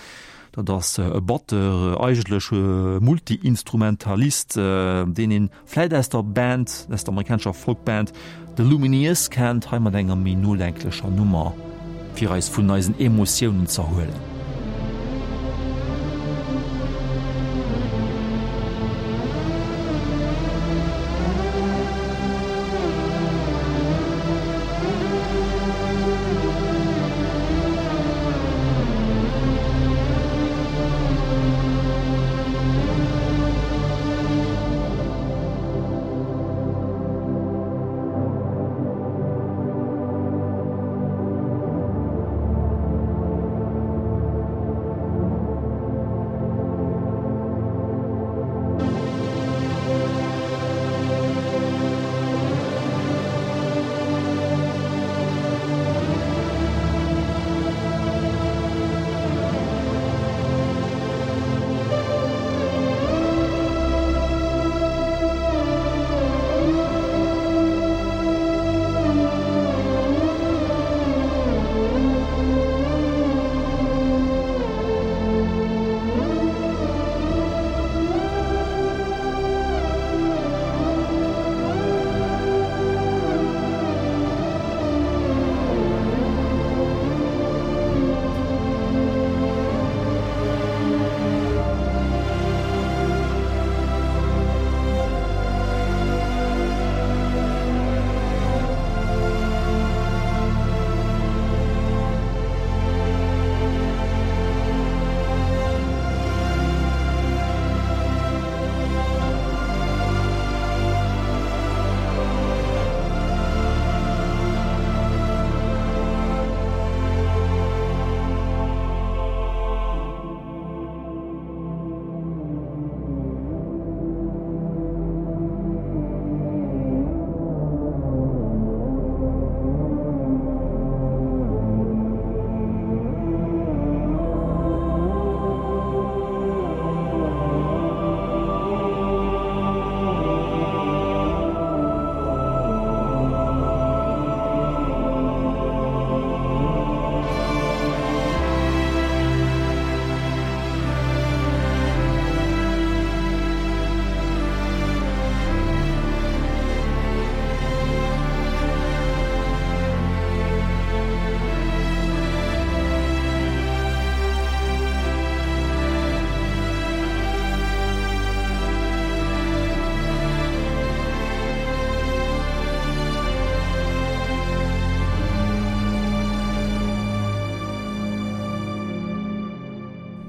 Dat ass e Batteur, eigentlech e Multi-Instrumentalist, deen een vläit aus der Band, aus der amerikanescher Folkband The Lumineers kennt, hei mat enger méi nodenklecher Nummer, fir eis vun eisen Emotiounen z'erhuelen.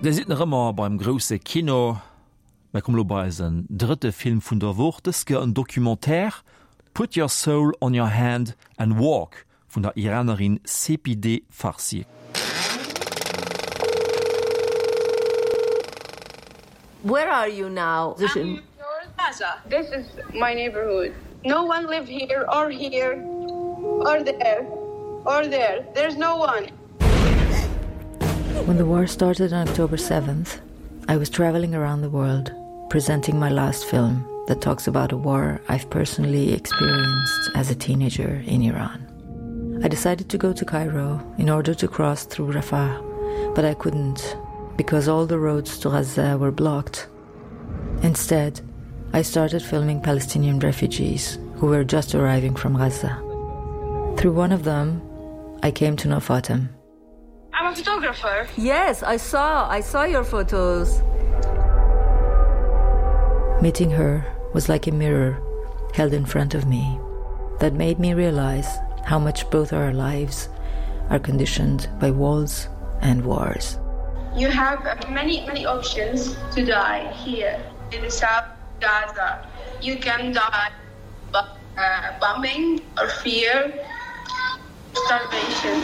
Dir sidd nach ëmmer beim grousse Kino. Mir kommen elo bei eisen drëtte Film vun der Woch, dës Kéier en Documentaire, Put Your Soul on Your Hand and Walk vun der Iranerin Sepideh Farsi. Where are you now? I'm in Gaza. This is my neighborhood. No one live here or here or there or there. There's no one. When the war started on October seventh, I was traveling around the world, presenting my last film that talks about a war I've personally experienced as a teenager in Iran. I decided to go to Cairo in order to cross through Rafah, but I couldn't because all the roads to Gaza were blocked. Instead, I started filming Palestinian refugees who were just arriving from Gaza. Through one of them, I came to know Fatem. I'm a photographer. Yes, I saw I saw your photos. Meeting her was like a mirror held in front of me that made me realize how much both our lives are conditioned by walls and wars. You have many, many options to die here in the South Gaza. You can die by uh, bombing or fear, starvation.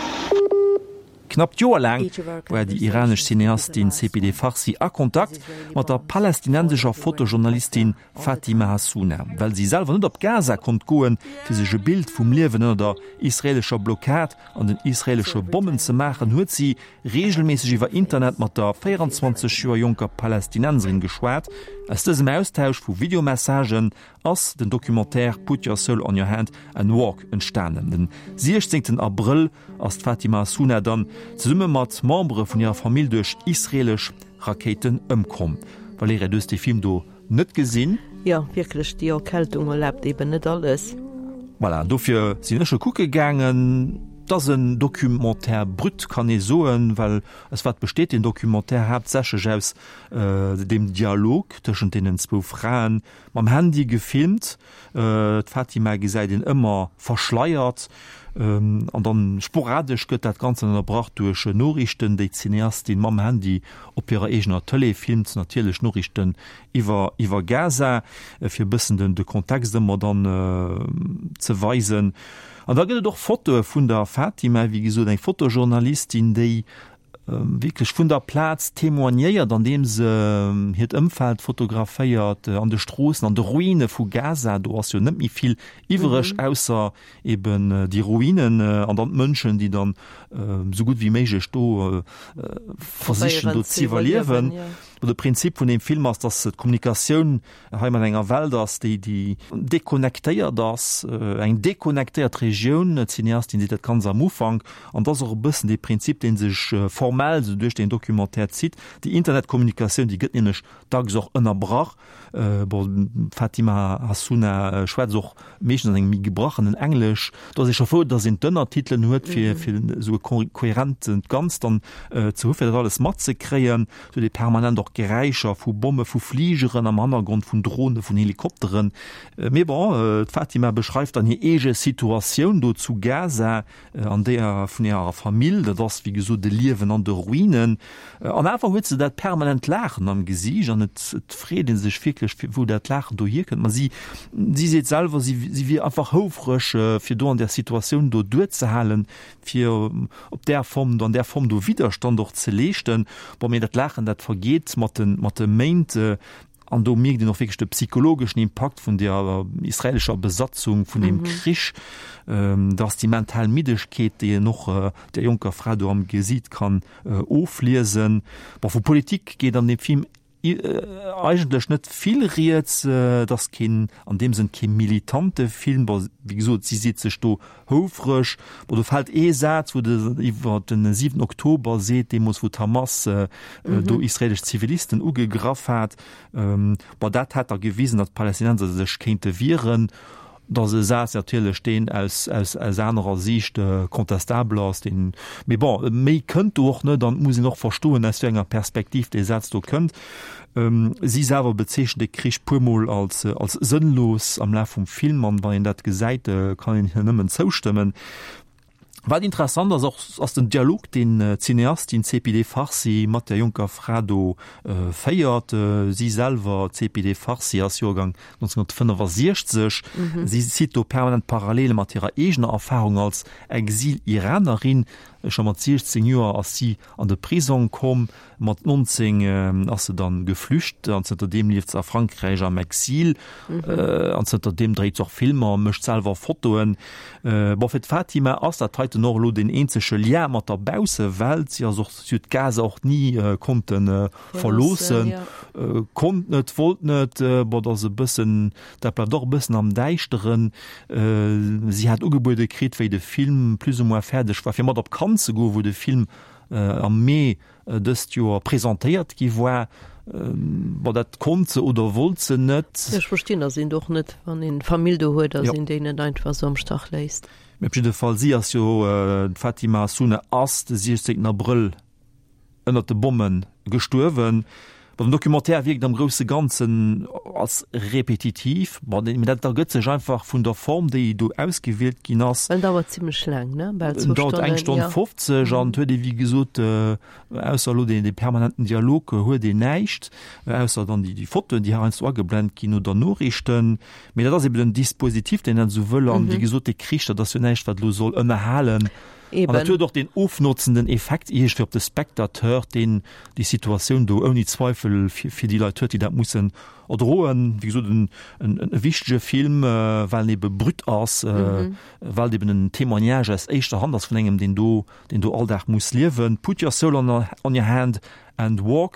Knapp d'Joer laang war déi iranesch Cineastin Sepideh Farsi a Kontakt mat der palästinensescher Fotojournalistin Fatima Hassouna. Well si selwer net op Gaza konnt goen, fir sech e Bild vum Liewen ënner der israeelescher Blockad an den israeelesche Bommen ze maachen, huet si reegelméisseg iwwer Internet mat der véierenzwanzeg Joer jonker Palästinenserin geschwat. Aus dësem Austausch vu Videomessagen ass den Documentaire Put Your Soul on Your Hand and Walk entstanen. Den siechzéngten Abrëll ass d'Fatima Hassouna dann zesumme mat Membere vun hirer Famill duerch israeelesch Rakéiten ëmkomm. Valerija, du hues dee Film do net gesinn. Jo, wierklech, déi Erkältung erlaabt eben net alles. Voilà, dofir sinn ech e kucke gaangen. Et ass en Documentaire brut, kann ee soen, well aus wat besteet deen Documentaire? Haaptsächlech aus deem Dialog tëschent deenen zwou Fraen, mam Handy gefilmt. D'Fatima gesäit een ëmmer verschleiert an dann sporadesch gëtt dat Ganzt ënnerbrach duerch Noriichten, déi d'Cineastin mam Handy op hirer eegener Tëlee filmt, natierlech Noriichten iwwer iwwer Gaza, fir e bëssen den de Kontext ëmmer dann ze weisen. An da gëtt et och Fotoe vun der Fatima, wéi gesot eng Fotojournalistin, déi wierklech vun der Plaz témoignéiert, andeem se hiert Ëmfeld fotograféiert, an de Stroossen, an de Ruine vu Gaza. Do ass jo net méi vill iwwereg, ausser eben déi Ruinen an dann d'Mënschen, déi dann esou gutt wéi méiglech do versichen, do z'iwwerliewen. De Prinzip vun deem Film ass, datt d'Kommunikatioun hei mat enger Welt ass, déi déi deconnectéiert ass, eng deconnectéiert Regioun. D'Cineastin seet dat ganz am Ufank. An dat ass och e bëssen dee Prinzip, dee sech formell esou duerch deen Documentaire zitt. Déi Internetkommunikatioun, déi gëtt nämlech dacks och ënnerbrach. Bon, d'Fatima Hassouna schwätzt och meeschtens an engem méi gebrachenen Englesch. Do ass ee scho frou, datt een d'Ënnertitelen huet, fir fir esou e kohärent Ganzt dann ze hu fir dat alles matzekréien. Sou déi permanent och Geräischer vu Bomme, vu Fligeren am Hannergrond, vun Drone, vun Helikopteren. Mee bon, d'Fatima beschreift dann hir eege Situatioun do zu Gaza an déi vun hirer Famill. Dat ass wéi gesot e Liewen an de Ruinen. An awer huet se dat permanent Laachen am Gesiicht an et freet ee sech wierklech, wou dat Laachen do hierkënnt. Ma si si seet selwer, si si wier einfach houfreg, fir do an där Situatioun do duerzehalen, fir op där Form, an där Form do Widderstand och ze leeschten. Bon, mee dat Laachen, dat vergeet mat de mat de Méint. An do mierkt een och wierklech de psychologeschen Impakt vun der israelescher Besatzung, vun deem Krich. Dat ass déi mental Middegkeet, déi een och där jonker Fra do am Gesiit kann ofliesen. Bon, vu Politik geet an deem Film eigentlech net vill rieds. Et ass keen, an deem Sënn kee militante Film. Bon, wéi gesot, si seet sech do houfreg. Bon, do fält ee Saz, wou de iwwer den siwenten Oktober seet, deemools wou d'Hamas do israelesch Zivilisten ugegraff hat. Bon, dat hätt da gewisen, datt d'Palästinenser sech kéinte wieren. Dat ass e Saz natierlech, deen aus, aus, aus anerer Siicht contestabel ass, deen, mee bon, méi kënnt do och net an et muss een och verstoen, aus wéi enger Perspektiv dee Saz do kënnt. Si selwer bezeechent de Krich puermol als, als sënnlos am Laf vum Film an wann een dat gesäit, kann een hir nëmmen zoustëmmen. Wat interessant ass och, ass den Dialog, deen d'Cineastin Sepideh Farsi mat der jonker Fra do féiert. Si selwer, d'Sepideh Farsi, ass Joergang neunzehnhundertfënnefasiechzeg. Si zitt do permanent Parallele mat hirer eegener Erfarung als Exil-Iranerin. Scho mat siechzéng Joer ass si an de Prisong komm, mat nonzéng ass se dann geflücht an zënter deem lieft se a Frankräich am Exil. An zënter deem dréit se och Filmer, mécht selwer Fotoen. Bon, fir d'Fatima ass dat heiten och elo deen eenzege Lien mat der Baussewelt. Si ass och, si huet Gaza och ni konnte verloossen, konnt net, wollt net. Bon, dat ass e bëssen, dat bleift och e bëssen am Däischteren. Si hat ugebuede kritt, wéi de Film plus ou moins fäerdeg war, fir mat op Cannes ze goen, wou de Film am Mee dëst Joer presentéiert gi war. Bon, dat konnt se oder wollt se net. Ech verstinn, datt een do och net, wann een Famill do huet, datt een déi net einfach esou am Stach léisst. Mee op jidde Fall, si ass jo, d'Fatima Hassouna ass de siechzéngten Abrëll ënnert de Bomme gestuerwen. Bon, den Documentaire wierkt am grousse Ganzen als repetitiv, bon, mee dat ergëtt sech einfach vun der Form, déi do ausgewielt ginn ass. En dauert zimlech laang, ne? Bal En zwou dauert eng Stonnen, Stonn ja. fofzeg an et huet ee wéi gesot, ausser elo dee permanenten Dialog huet een näischt, ausser dann déi déi Fotoen, déi heiansdo ageblent ginn oder Noriichten. Mee dat ass eben den Dispositif, deen dat esou wëll an wéi gesot, dee Krich, dat ass jo näischt, wat elo soll ënnerhalen. An dat Eben. huet och deen ofnotzenden Effekt iergendwéi op de Spectateur, deen déi Situatioun do ouni Zweifel fir, fir déi Leit huet, déi dat mussen erdroen. Wéi gesot, en, en, e wichtege Film, well en ebe brut ass, well et eben en Témoignage aus éischter Hand ass vun engem, deen do, deen do all Dag muss liewen. Put your soul on, on your hand and walk.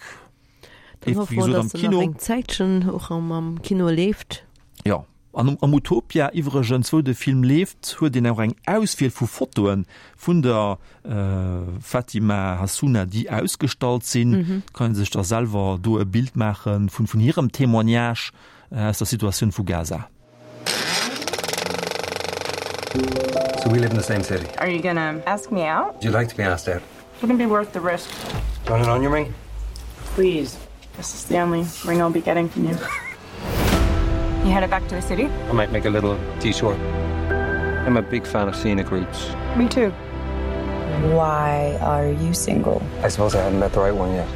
Dann Leeft, hoffe wéi mer, gesot, am dass en nach Kino. eng Zäitchen och am, am Kino leeft. Jo. An am Utopia iwwregens, wou de Film leeft, huet een och eng Auswiel vu Fotoe vun der Fatima Hassouna, déi ausgestallt sinn. Kann ee sech da selwer do e Bild maache vun vun hirem Témoignage aus der Situatioun vu Gaza. So we live in the same city. Are you gonna ask me out? Would you like to be asked out? Wouldn't be worth the risk. Do you want an onion ring? Please. This is the only ring I'll be getting from you. You headed back to the city? I might make a little detour. I'm a big fan of scenic routes. Me too. Why are you single? I suppose I haven't met the right one yet.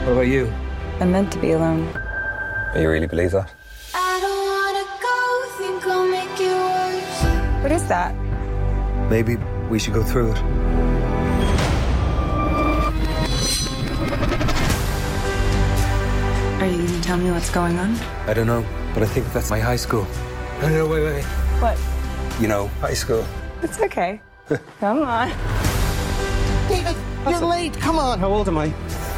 What about you? I'm meant to be alone. You really believe that? I don't wanna go, think I'll make it worse. What is that? Maybe we should go through it. Are you gonna tell me what's going on? I don't know, but I think that's my high school. No, no, wait, wait, wait. What? You know, high school. It's okay. Come on. David, you're late. Come on. How old am I?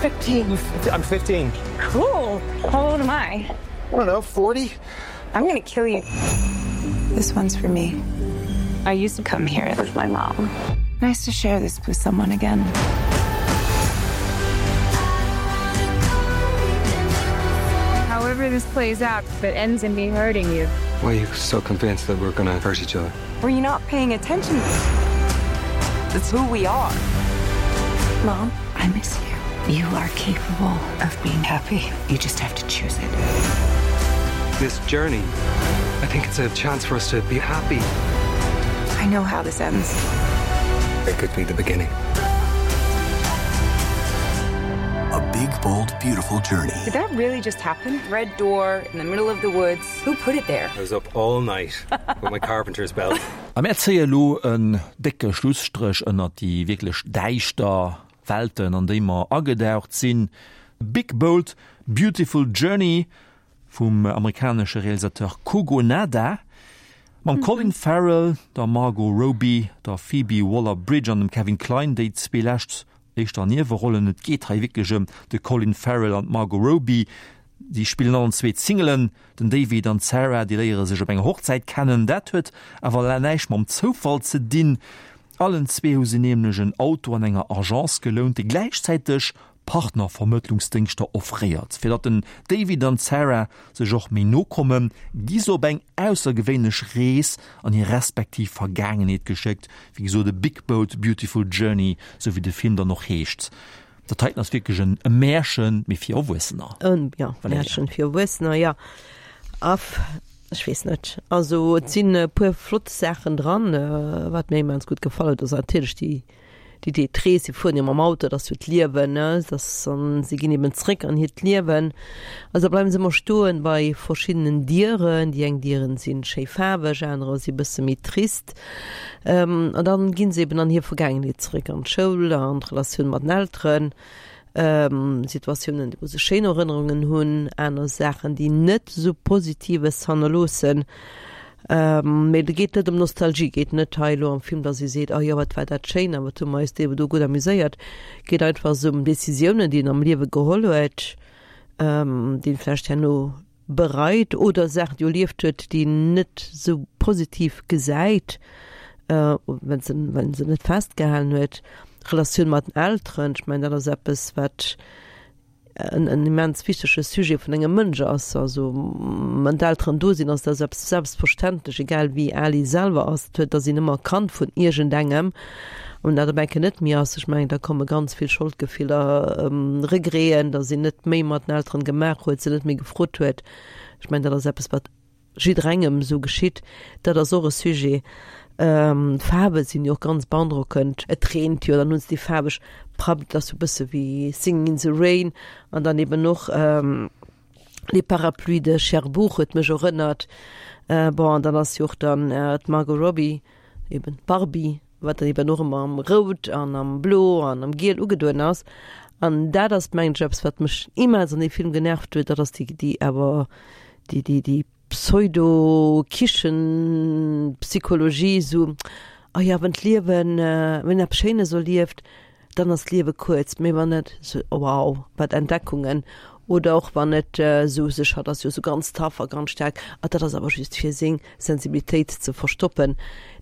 fifteen. I'm fifteen. Cool. How old am I? I don't know, forty? I'm gonna kill you. This one's for me. I used to come here with my mom. Nice to share this with someone again. However this plays out, if it ends in me hurting you. Why are you so convinced that we're gonna hurt each other? Were you not paying attention? It's who we are. Mom, I miss you. You are capable of being happy. You just have to choose it. This journey, I think it's a chance for us to be happy. I know how this ends. It could be the beginning. A big, bold, beautiful journey. Did that really just happen? Red door in the middle of the woods. Who put it there? I was up all night with my carpenter's belt. A mär zéie lo en décke Schlusstréch ënnert déi wierklech däischter Welten, an déi mer agedaucht sinn. Big, bold, beautiful journey vum amerikanesche Realisateur Kogonada mam Colin Farrell, der Margot Robbie, der Phoebe Waller-Bridge an dem Kevin Kline, déi zwee lescht éischter Niewerollen. Et geet hei wierklech ëm de Colin Farrell an d'Margot Robbie. Déi spillen allen zwee d'Singelen. Den David an d'Sarah, déi léiere sech op enger Hochzäit kennen. Dat huet awer näischt mam Zoufall ze dinn. Allen zwee hu se nämlech en Auto an enger Agence gelount, déi gläichzäiteg Partnervermëttlungsdéngschter offréiert. Fir datt den David an d'Sarah sech och méi no kommen, gi se op eng aussergewéinlech Rees an hir respektiv Vergaangenheet geschéckt. Wéi gesot, A Big Bold Beautiful Journey, sou wéi de Film dann och heescht. Dat heiten ass wierklech en Märchen, mee fir Erwuessener. En, jo, Valerija. Märchen fir Erwuessener, jo. Af Ech weess net. Also et sinn e puer flott Saachen dran. Wat mir immens gutt gefall huet, ass natierlech déi, déi déi d'Rees. Si fueren jo mam Auto, dat ass jo d'Liewen, ne, dat ass, an si ginn eben zréck an hiert Liewen. Also da bleiwe se ëmmer stoen bei verschiddenen Dieren. Déi eng Dieren sinn schéi faarweg, anerer si bësse méi trist. An dann ginn se eben an hir Vergaangenheet zréck, an d'Schoul, an d'Relatioun mat den Elteren. Situatiounen, wou se schéin Erënnerungen hunn, aner Saachen, déi net esou Positives hannerloossen. Mee et geet net ëm Nostalgie, geet net hei elo am Film, datt ee seet, oh jo, wat war dat schéin a wat hu mer eis do do gutt amuséiert. Geet einfach esou ëm Decisiounen, déi een am Liewe geholl huet, déi een vläicht herno bereit oder Saachen, déi erlieft huet, déi een net esou positiv gesäit, wenn se, wenn se net festgehalen huet. Relatioun mat den Elteren, ech mengen dat ass eppes wat en, en immens wichtege Sujet vun engem Mënsch ass. Also wann d'Elteren do sinn, ass dat eppes selbstverständlech, egal wéi al ee selwer ass, et huet, ass een ëmmer Kand vun iergendengem. An dat op eng Kéier net méi ass, ech mengen da komme ganz vill Scholdgefiller, Regreten, datt een net méi mat den Elteren gemaach huet, se net méi gefrot huet. Ech mengen dat ass eppes wat jidderengem esou geschitt. Dat ass och e Sujet. D'Faarwe sinn jo och ganz beandrockend. Et reent jo, dann hunn se déi faarweg Prabb, dat ass jo e bësse wéi Singing in the Rain. An dann eben och Les parapluies de Cherbourg huet mech erënnert. Bon, an dann ass jo och dann d'Margot Robbie, eben d'Barbie, wat dann eben och ëmmer am Rout an am Blo an am Giel ugedoen ass. An dat ass, mengen ech, eppes, wat mech immens an deem Film genervt huet, dat ass déi, déi awer déi, déi, déi Pseudo-Kichen-Psychologie, esou, oh ja, wann d'Liewen, wann een eppes Schéines erlieft, dann ass d'Liewe kuerz, mee wann net, esou, oh wow, wat Entdeckungen. Oder och wann et esou sech, hatt ass jo esou ganz tough a ganz staark, ah dat ass awer just fir seng Sensibilitéit ze verstoppen.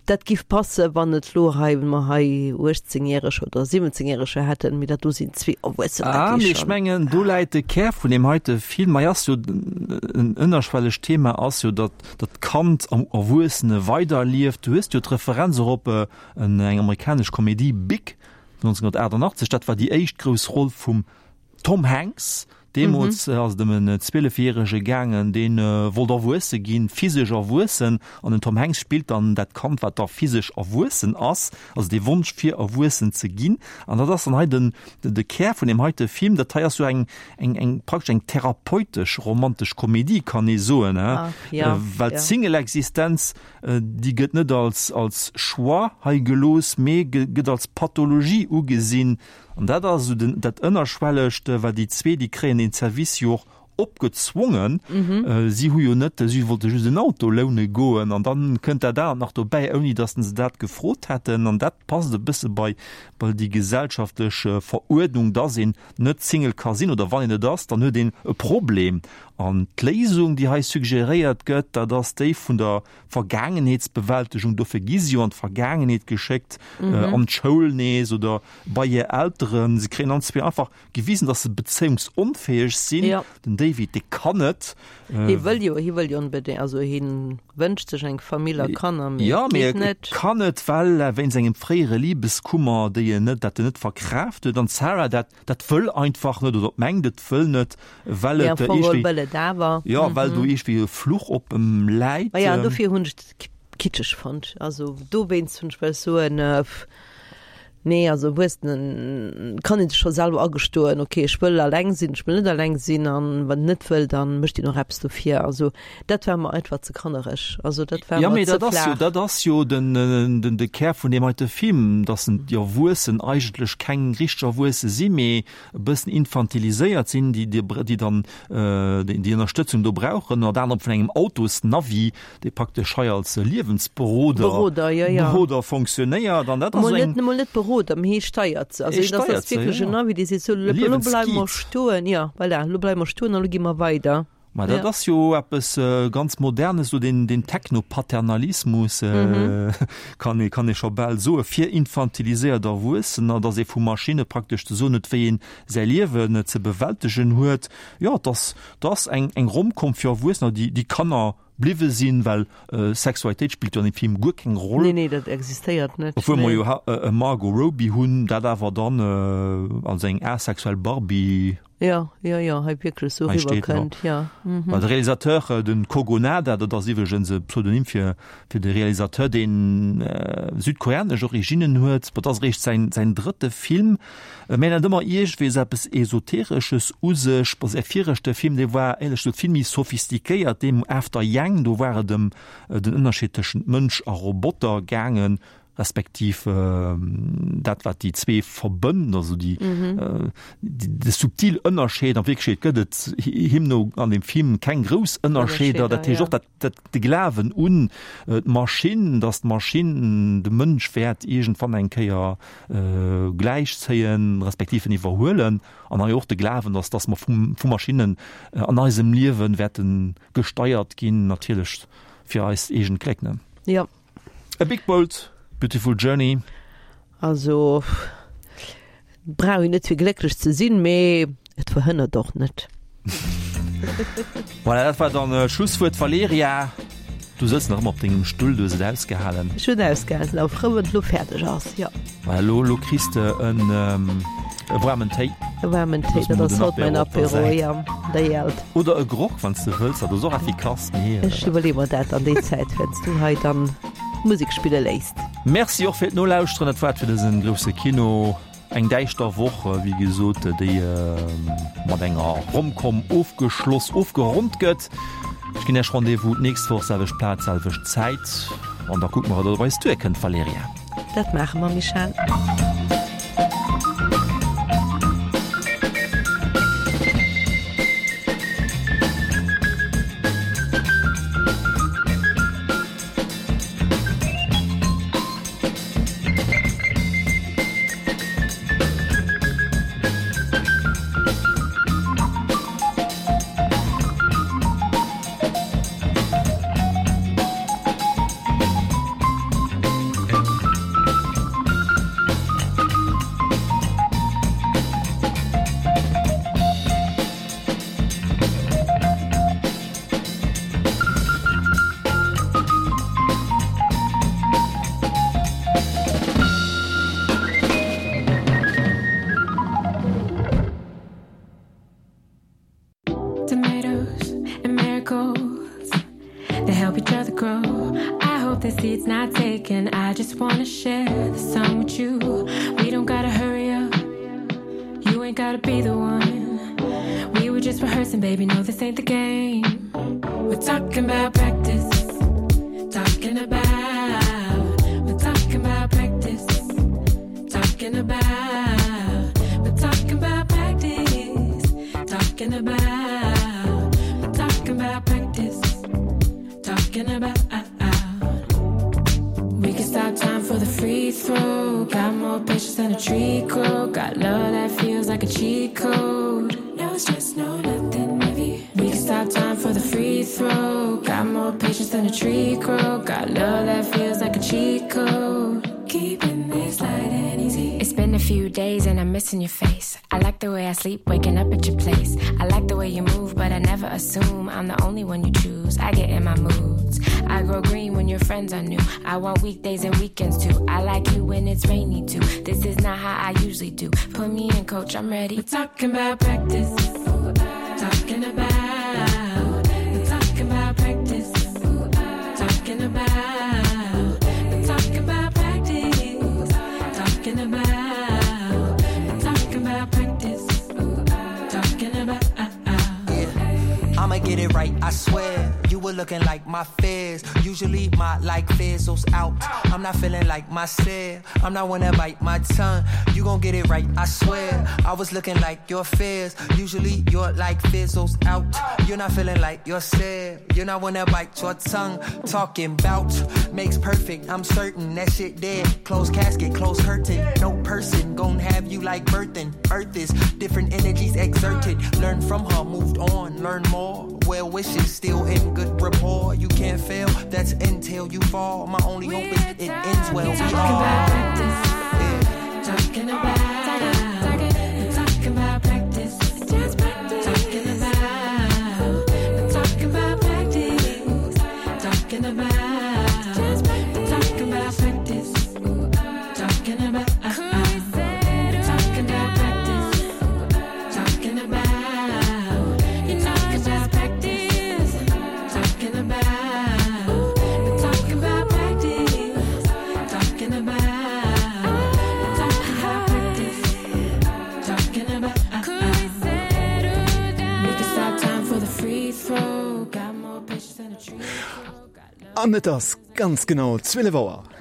Dat giff passen, wann et lo hei, wann mer hei uechtzéngjäreger oder siwwenzéngjäreger hätten, mee dat do sinn zwee Erwuessener, Ah, déi mee ech schonn. mengen, do läit de Kär vun deem heite Film. Hei ass jo en ënnerschwellegt Thema ass jo, datt datt d'Kand am Erwuessene weiderlieft. Du hues jo d'Referenz och op en eng amerikanesch Komedie, Big, vun nonzénghunnertaachtenachtzeg. Dat war déi éischt grouss Roll vum Tom Hanks. Deemools ass et ëm en Zwielefjärege gaangen, dee wollt erwuesse ginn, physesch erwuessen. An den Tom Hanks spillt dann dat Kand, wat da physesch erwuessen ass, also dee Wonsch fir erwuessen ze ginn. An dat ass dann hei den, de Kär vun deem heite Film. Dat hei ass jo eng, eng, eng praktesch eng therapeutesch romantesch Komedie, kann ee soen, well d'Single-Existenz, déi gëtt net als, als Choix hei gelooss, mee gëtt als Pathologie ugesinn. An dat ass esou den, dat Ënnerschwellegt, well déi zwee, déi kréien deen Service jo och opgezwongen. Si hu jo net, si wollte just en Auto loune goen an dann kënnt dat anert nach dobäi, ouni datt se dat gefrot hätten. An dat passt e bësse bei, bei déi gesellschaftlech Veruerdnung, datt een net Single ka sinn oder wann een et ass, dann huet een e Problem. An d'Léisung, déi hei suggeréiert gëtt, dat ass déi vun der Vergaangenheetsbewältegung. Dofir gi si jo an d'Vergaangenheet geschéckt, an d'Schoul nees oder bei hir Elteren. Si kréien allen zwee einfach gewisen, datt se bezéiungsonfäeg sinn. Jo. Den David, dee kann et. Hie wëll jo, hie wëll jo onbedéngt, also hie wënscht sech eng Famill a Kanner, mee Jo, et mee geet e net. kann et, well wéinst engem fréiere Libeskummer, déi en net, dat en net verkraaft huet. An d'Sarah, dat, dat wëll einfach net oder mengt, et wëll net, well Mee et am Fong geholl iergendwéi, wëll et awer. jo, well do iergendwéi e Fluch op em läit. Maja, an dofir hunn ech et kitscheg fonnt. Also dowéinst hunn ech wëll soen, pff, nee, also Erwuessenen kann een sech scho selwer agestoen, okay, ech wëll alleng sinn, ech wëll net alleng sinn, an wann en net wëll, dann mécht een och eppes dofir. Also dat war mer einfach ze kannereg, also dat war Ja, mer mee ze dat ass jo, flaach. dat ass jo den, den, de Kär vun deem heite Film, dass en déi Erwuessen eigentlech keng richteg Erwuesse sinn, mee e bëssen infantiliséiert sinn, déi, déi, déi dann déi, déi Ënnerstëtzung do brauchen, ënnert anerem vun engem Autosnavi, dee praktesch hei als Liewensberoder Beroder, ja, ja. Beroder fonctionnéiert. An dat ass Mol eng. net, mol net Beroder, mee hie steiert se. Also Hie dat ass steiert se, wierklech ja. en Navi, dee seet, sou, lo bleiwe mer Liewensguide. stoen, ja, voilà, lo bleiwe mer stoen a lo gi mer weider. Ma dat Ja. ass jo eppes ganz Modernes, esou deen, deen Technopaternalismus, kann ee, kann ee scho bal soe fir infantiliséiert Erwuessener, datt ee vu Maschinne praktesch ze soen huet, wéi een säi Liewen ze bewältegen huet. Jo, et ass, et ass eng, eng Romcom fir Erwuessener, déi, déi Kanner bliwwe sinn, well Sexualitéit spillt jo an deem Film guer keng Roll. Nee, nee, dat existéiert net. Obwuel mer Nee. jo e Margot Robbie hunn, dat awer dann als eng asexuell Barbie Jo, jo, jo, hei wierklech sou Hei steet, riwwerkënnt, jo. Mhm. Well de Realisateur, den Kogonada, dat ass iwwregens e Pseudonym fir fir de Realisateur, deen südkoreanesch Originnen huet, bon, dat ass eréischt säin säin drëtte Film, mä en hat ëmmer iergendwéi esou eppes Esoteresches u sech. Bon, säi viregte Film, dee war éierlech gesot vill méi sophistiquéiert, deem After Yang, do war et ëm den Ënnerscheed tëschent Mënsch a Roboter gaangen. respektiv dat wat déi zwee verbënnt, also déi de subtil Ënnerscheed. An Wierklechkeet gëtt et him no an dem Film keng grouss Ënnerscheeder. Dat heescht och dat dat de Glawen un d'Maschinn, datt d'Maschinn de Mënsch wäert iergendwann eng Kéier gläichzéien, respektiv en iwwerhuelen. An hei och de Glawen, datt datt mer vu vu Maschinnen an eisem Liewe wäerte gesteiert ginn, natierlech fir eist eegent Gléck, ne? Jo. A Big Bold Beautiful Journey. Also brauch een net fir glécklech ze sinn, mee et verhënnert och net. Voilà, dat war dann d'Schlusswuert. Valerija, du sëtz nach ëmmer op dengem Stull, du hues et ausgehalen. Ech hunn ausgehalen, sinn awer frou, wann et elo fäerdeg ass, jo. Voilà, elo, elo kriss de en e waarmen Téi. E waarmen Téi, dat ass haut mäin Apéro, jo, der Jelt. Oder e Grog, wann s de wëlls, dat ass och effikass, mee. Ech iwwerleeë mer dat an déi Zäit, wärend s du hei dann Musek spille léisst. Merci och fir d'Nolauschteren. Dat war et fir dësen grousse Kino. Eng däischter Woch, wéi gesot, déi mat enger Romcom ofgeschloss, ofgeronnt gëtt. Ech ginn Iech Rendez-vous d'nächst Woch, selwecht Plaz, selwecht Zäit. An da kucke mer, wat op eis duerkënnt, Valerija. Dat maache mer, Michèle. Tomatoes and marigolds They help each other grow I hope this seed's not taken I just wanna share the sun with you We don't gotta hurry up You ain't gotta be the one We were just rehearsing, baby, no this ain't the game We're talking about practice Talking about We're talking about practice Talking about We're talking about practice Talking about We're talking about practice Talking about We can stop time for the free throw Got more patience than a tree crow Got love that feels like a cheat code No stress, no nothing heavy We can stop time for the free throw Got more patience than a tree crow Got love that feels like a cheat code Keeping this light and easy It's been a few days and I'm missing your face I like the way I sleep waking up at your place I like the way you move but I never assume I'm the only one you choose I get in my moods I grow green when your friends are new I want weekdays and weekends too I like you when it's rainy too This is not how I usually do Put me in coach I'm ready We're talking about practice Talking about We're talking about practice Talking about We're talking about practice Talking about We're talking about practice Talking about yeah. I'ma get it right I swear You were looking like my fears Usually my like fizzles out I'm not feeling like myself I'm not wanna bite my tongue You gon' get it right I swear I was looking like your fears Usually your like fizzles out You're not feeling like yourself You're not wanna bite your tongue Talking bout makes perfect I'm certain that shit dead Closed casket, closed curtain No person gon' have you like birthing Earth is different energies exerted Learn from her, moved on, learn more Well wishes still in good rapport You can't fail, that's until you fall My only hope is it ends well We talking about practice yeah. Talking about talking, talking about practice Just practice Talking about Talking about practice Talking about Just practice Talking about practice Talking about Talking about practice Talking about Talking about, we're talking about practice. Talking about, we're talking about practice. Talking about, could we settle down? We can stop time for the free throw. Got more patience than a tree. An et ass ganz genau zwielef Auer.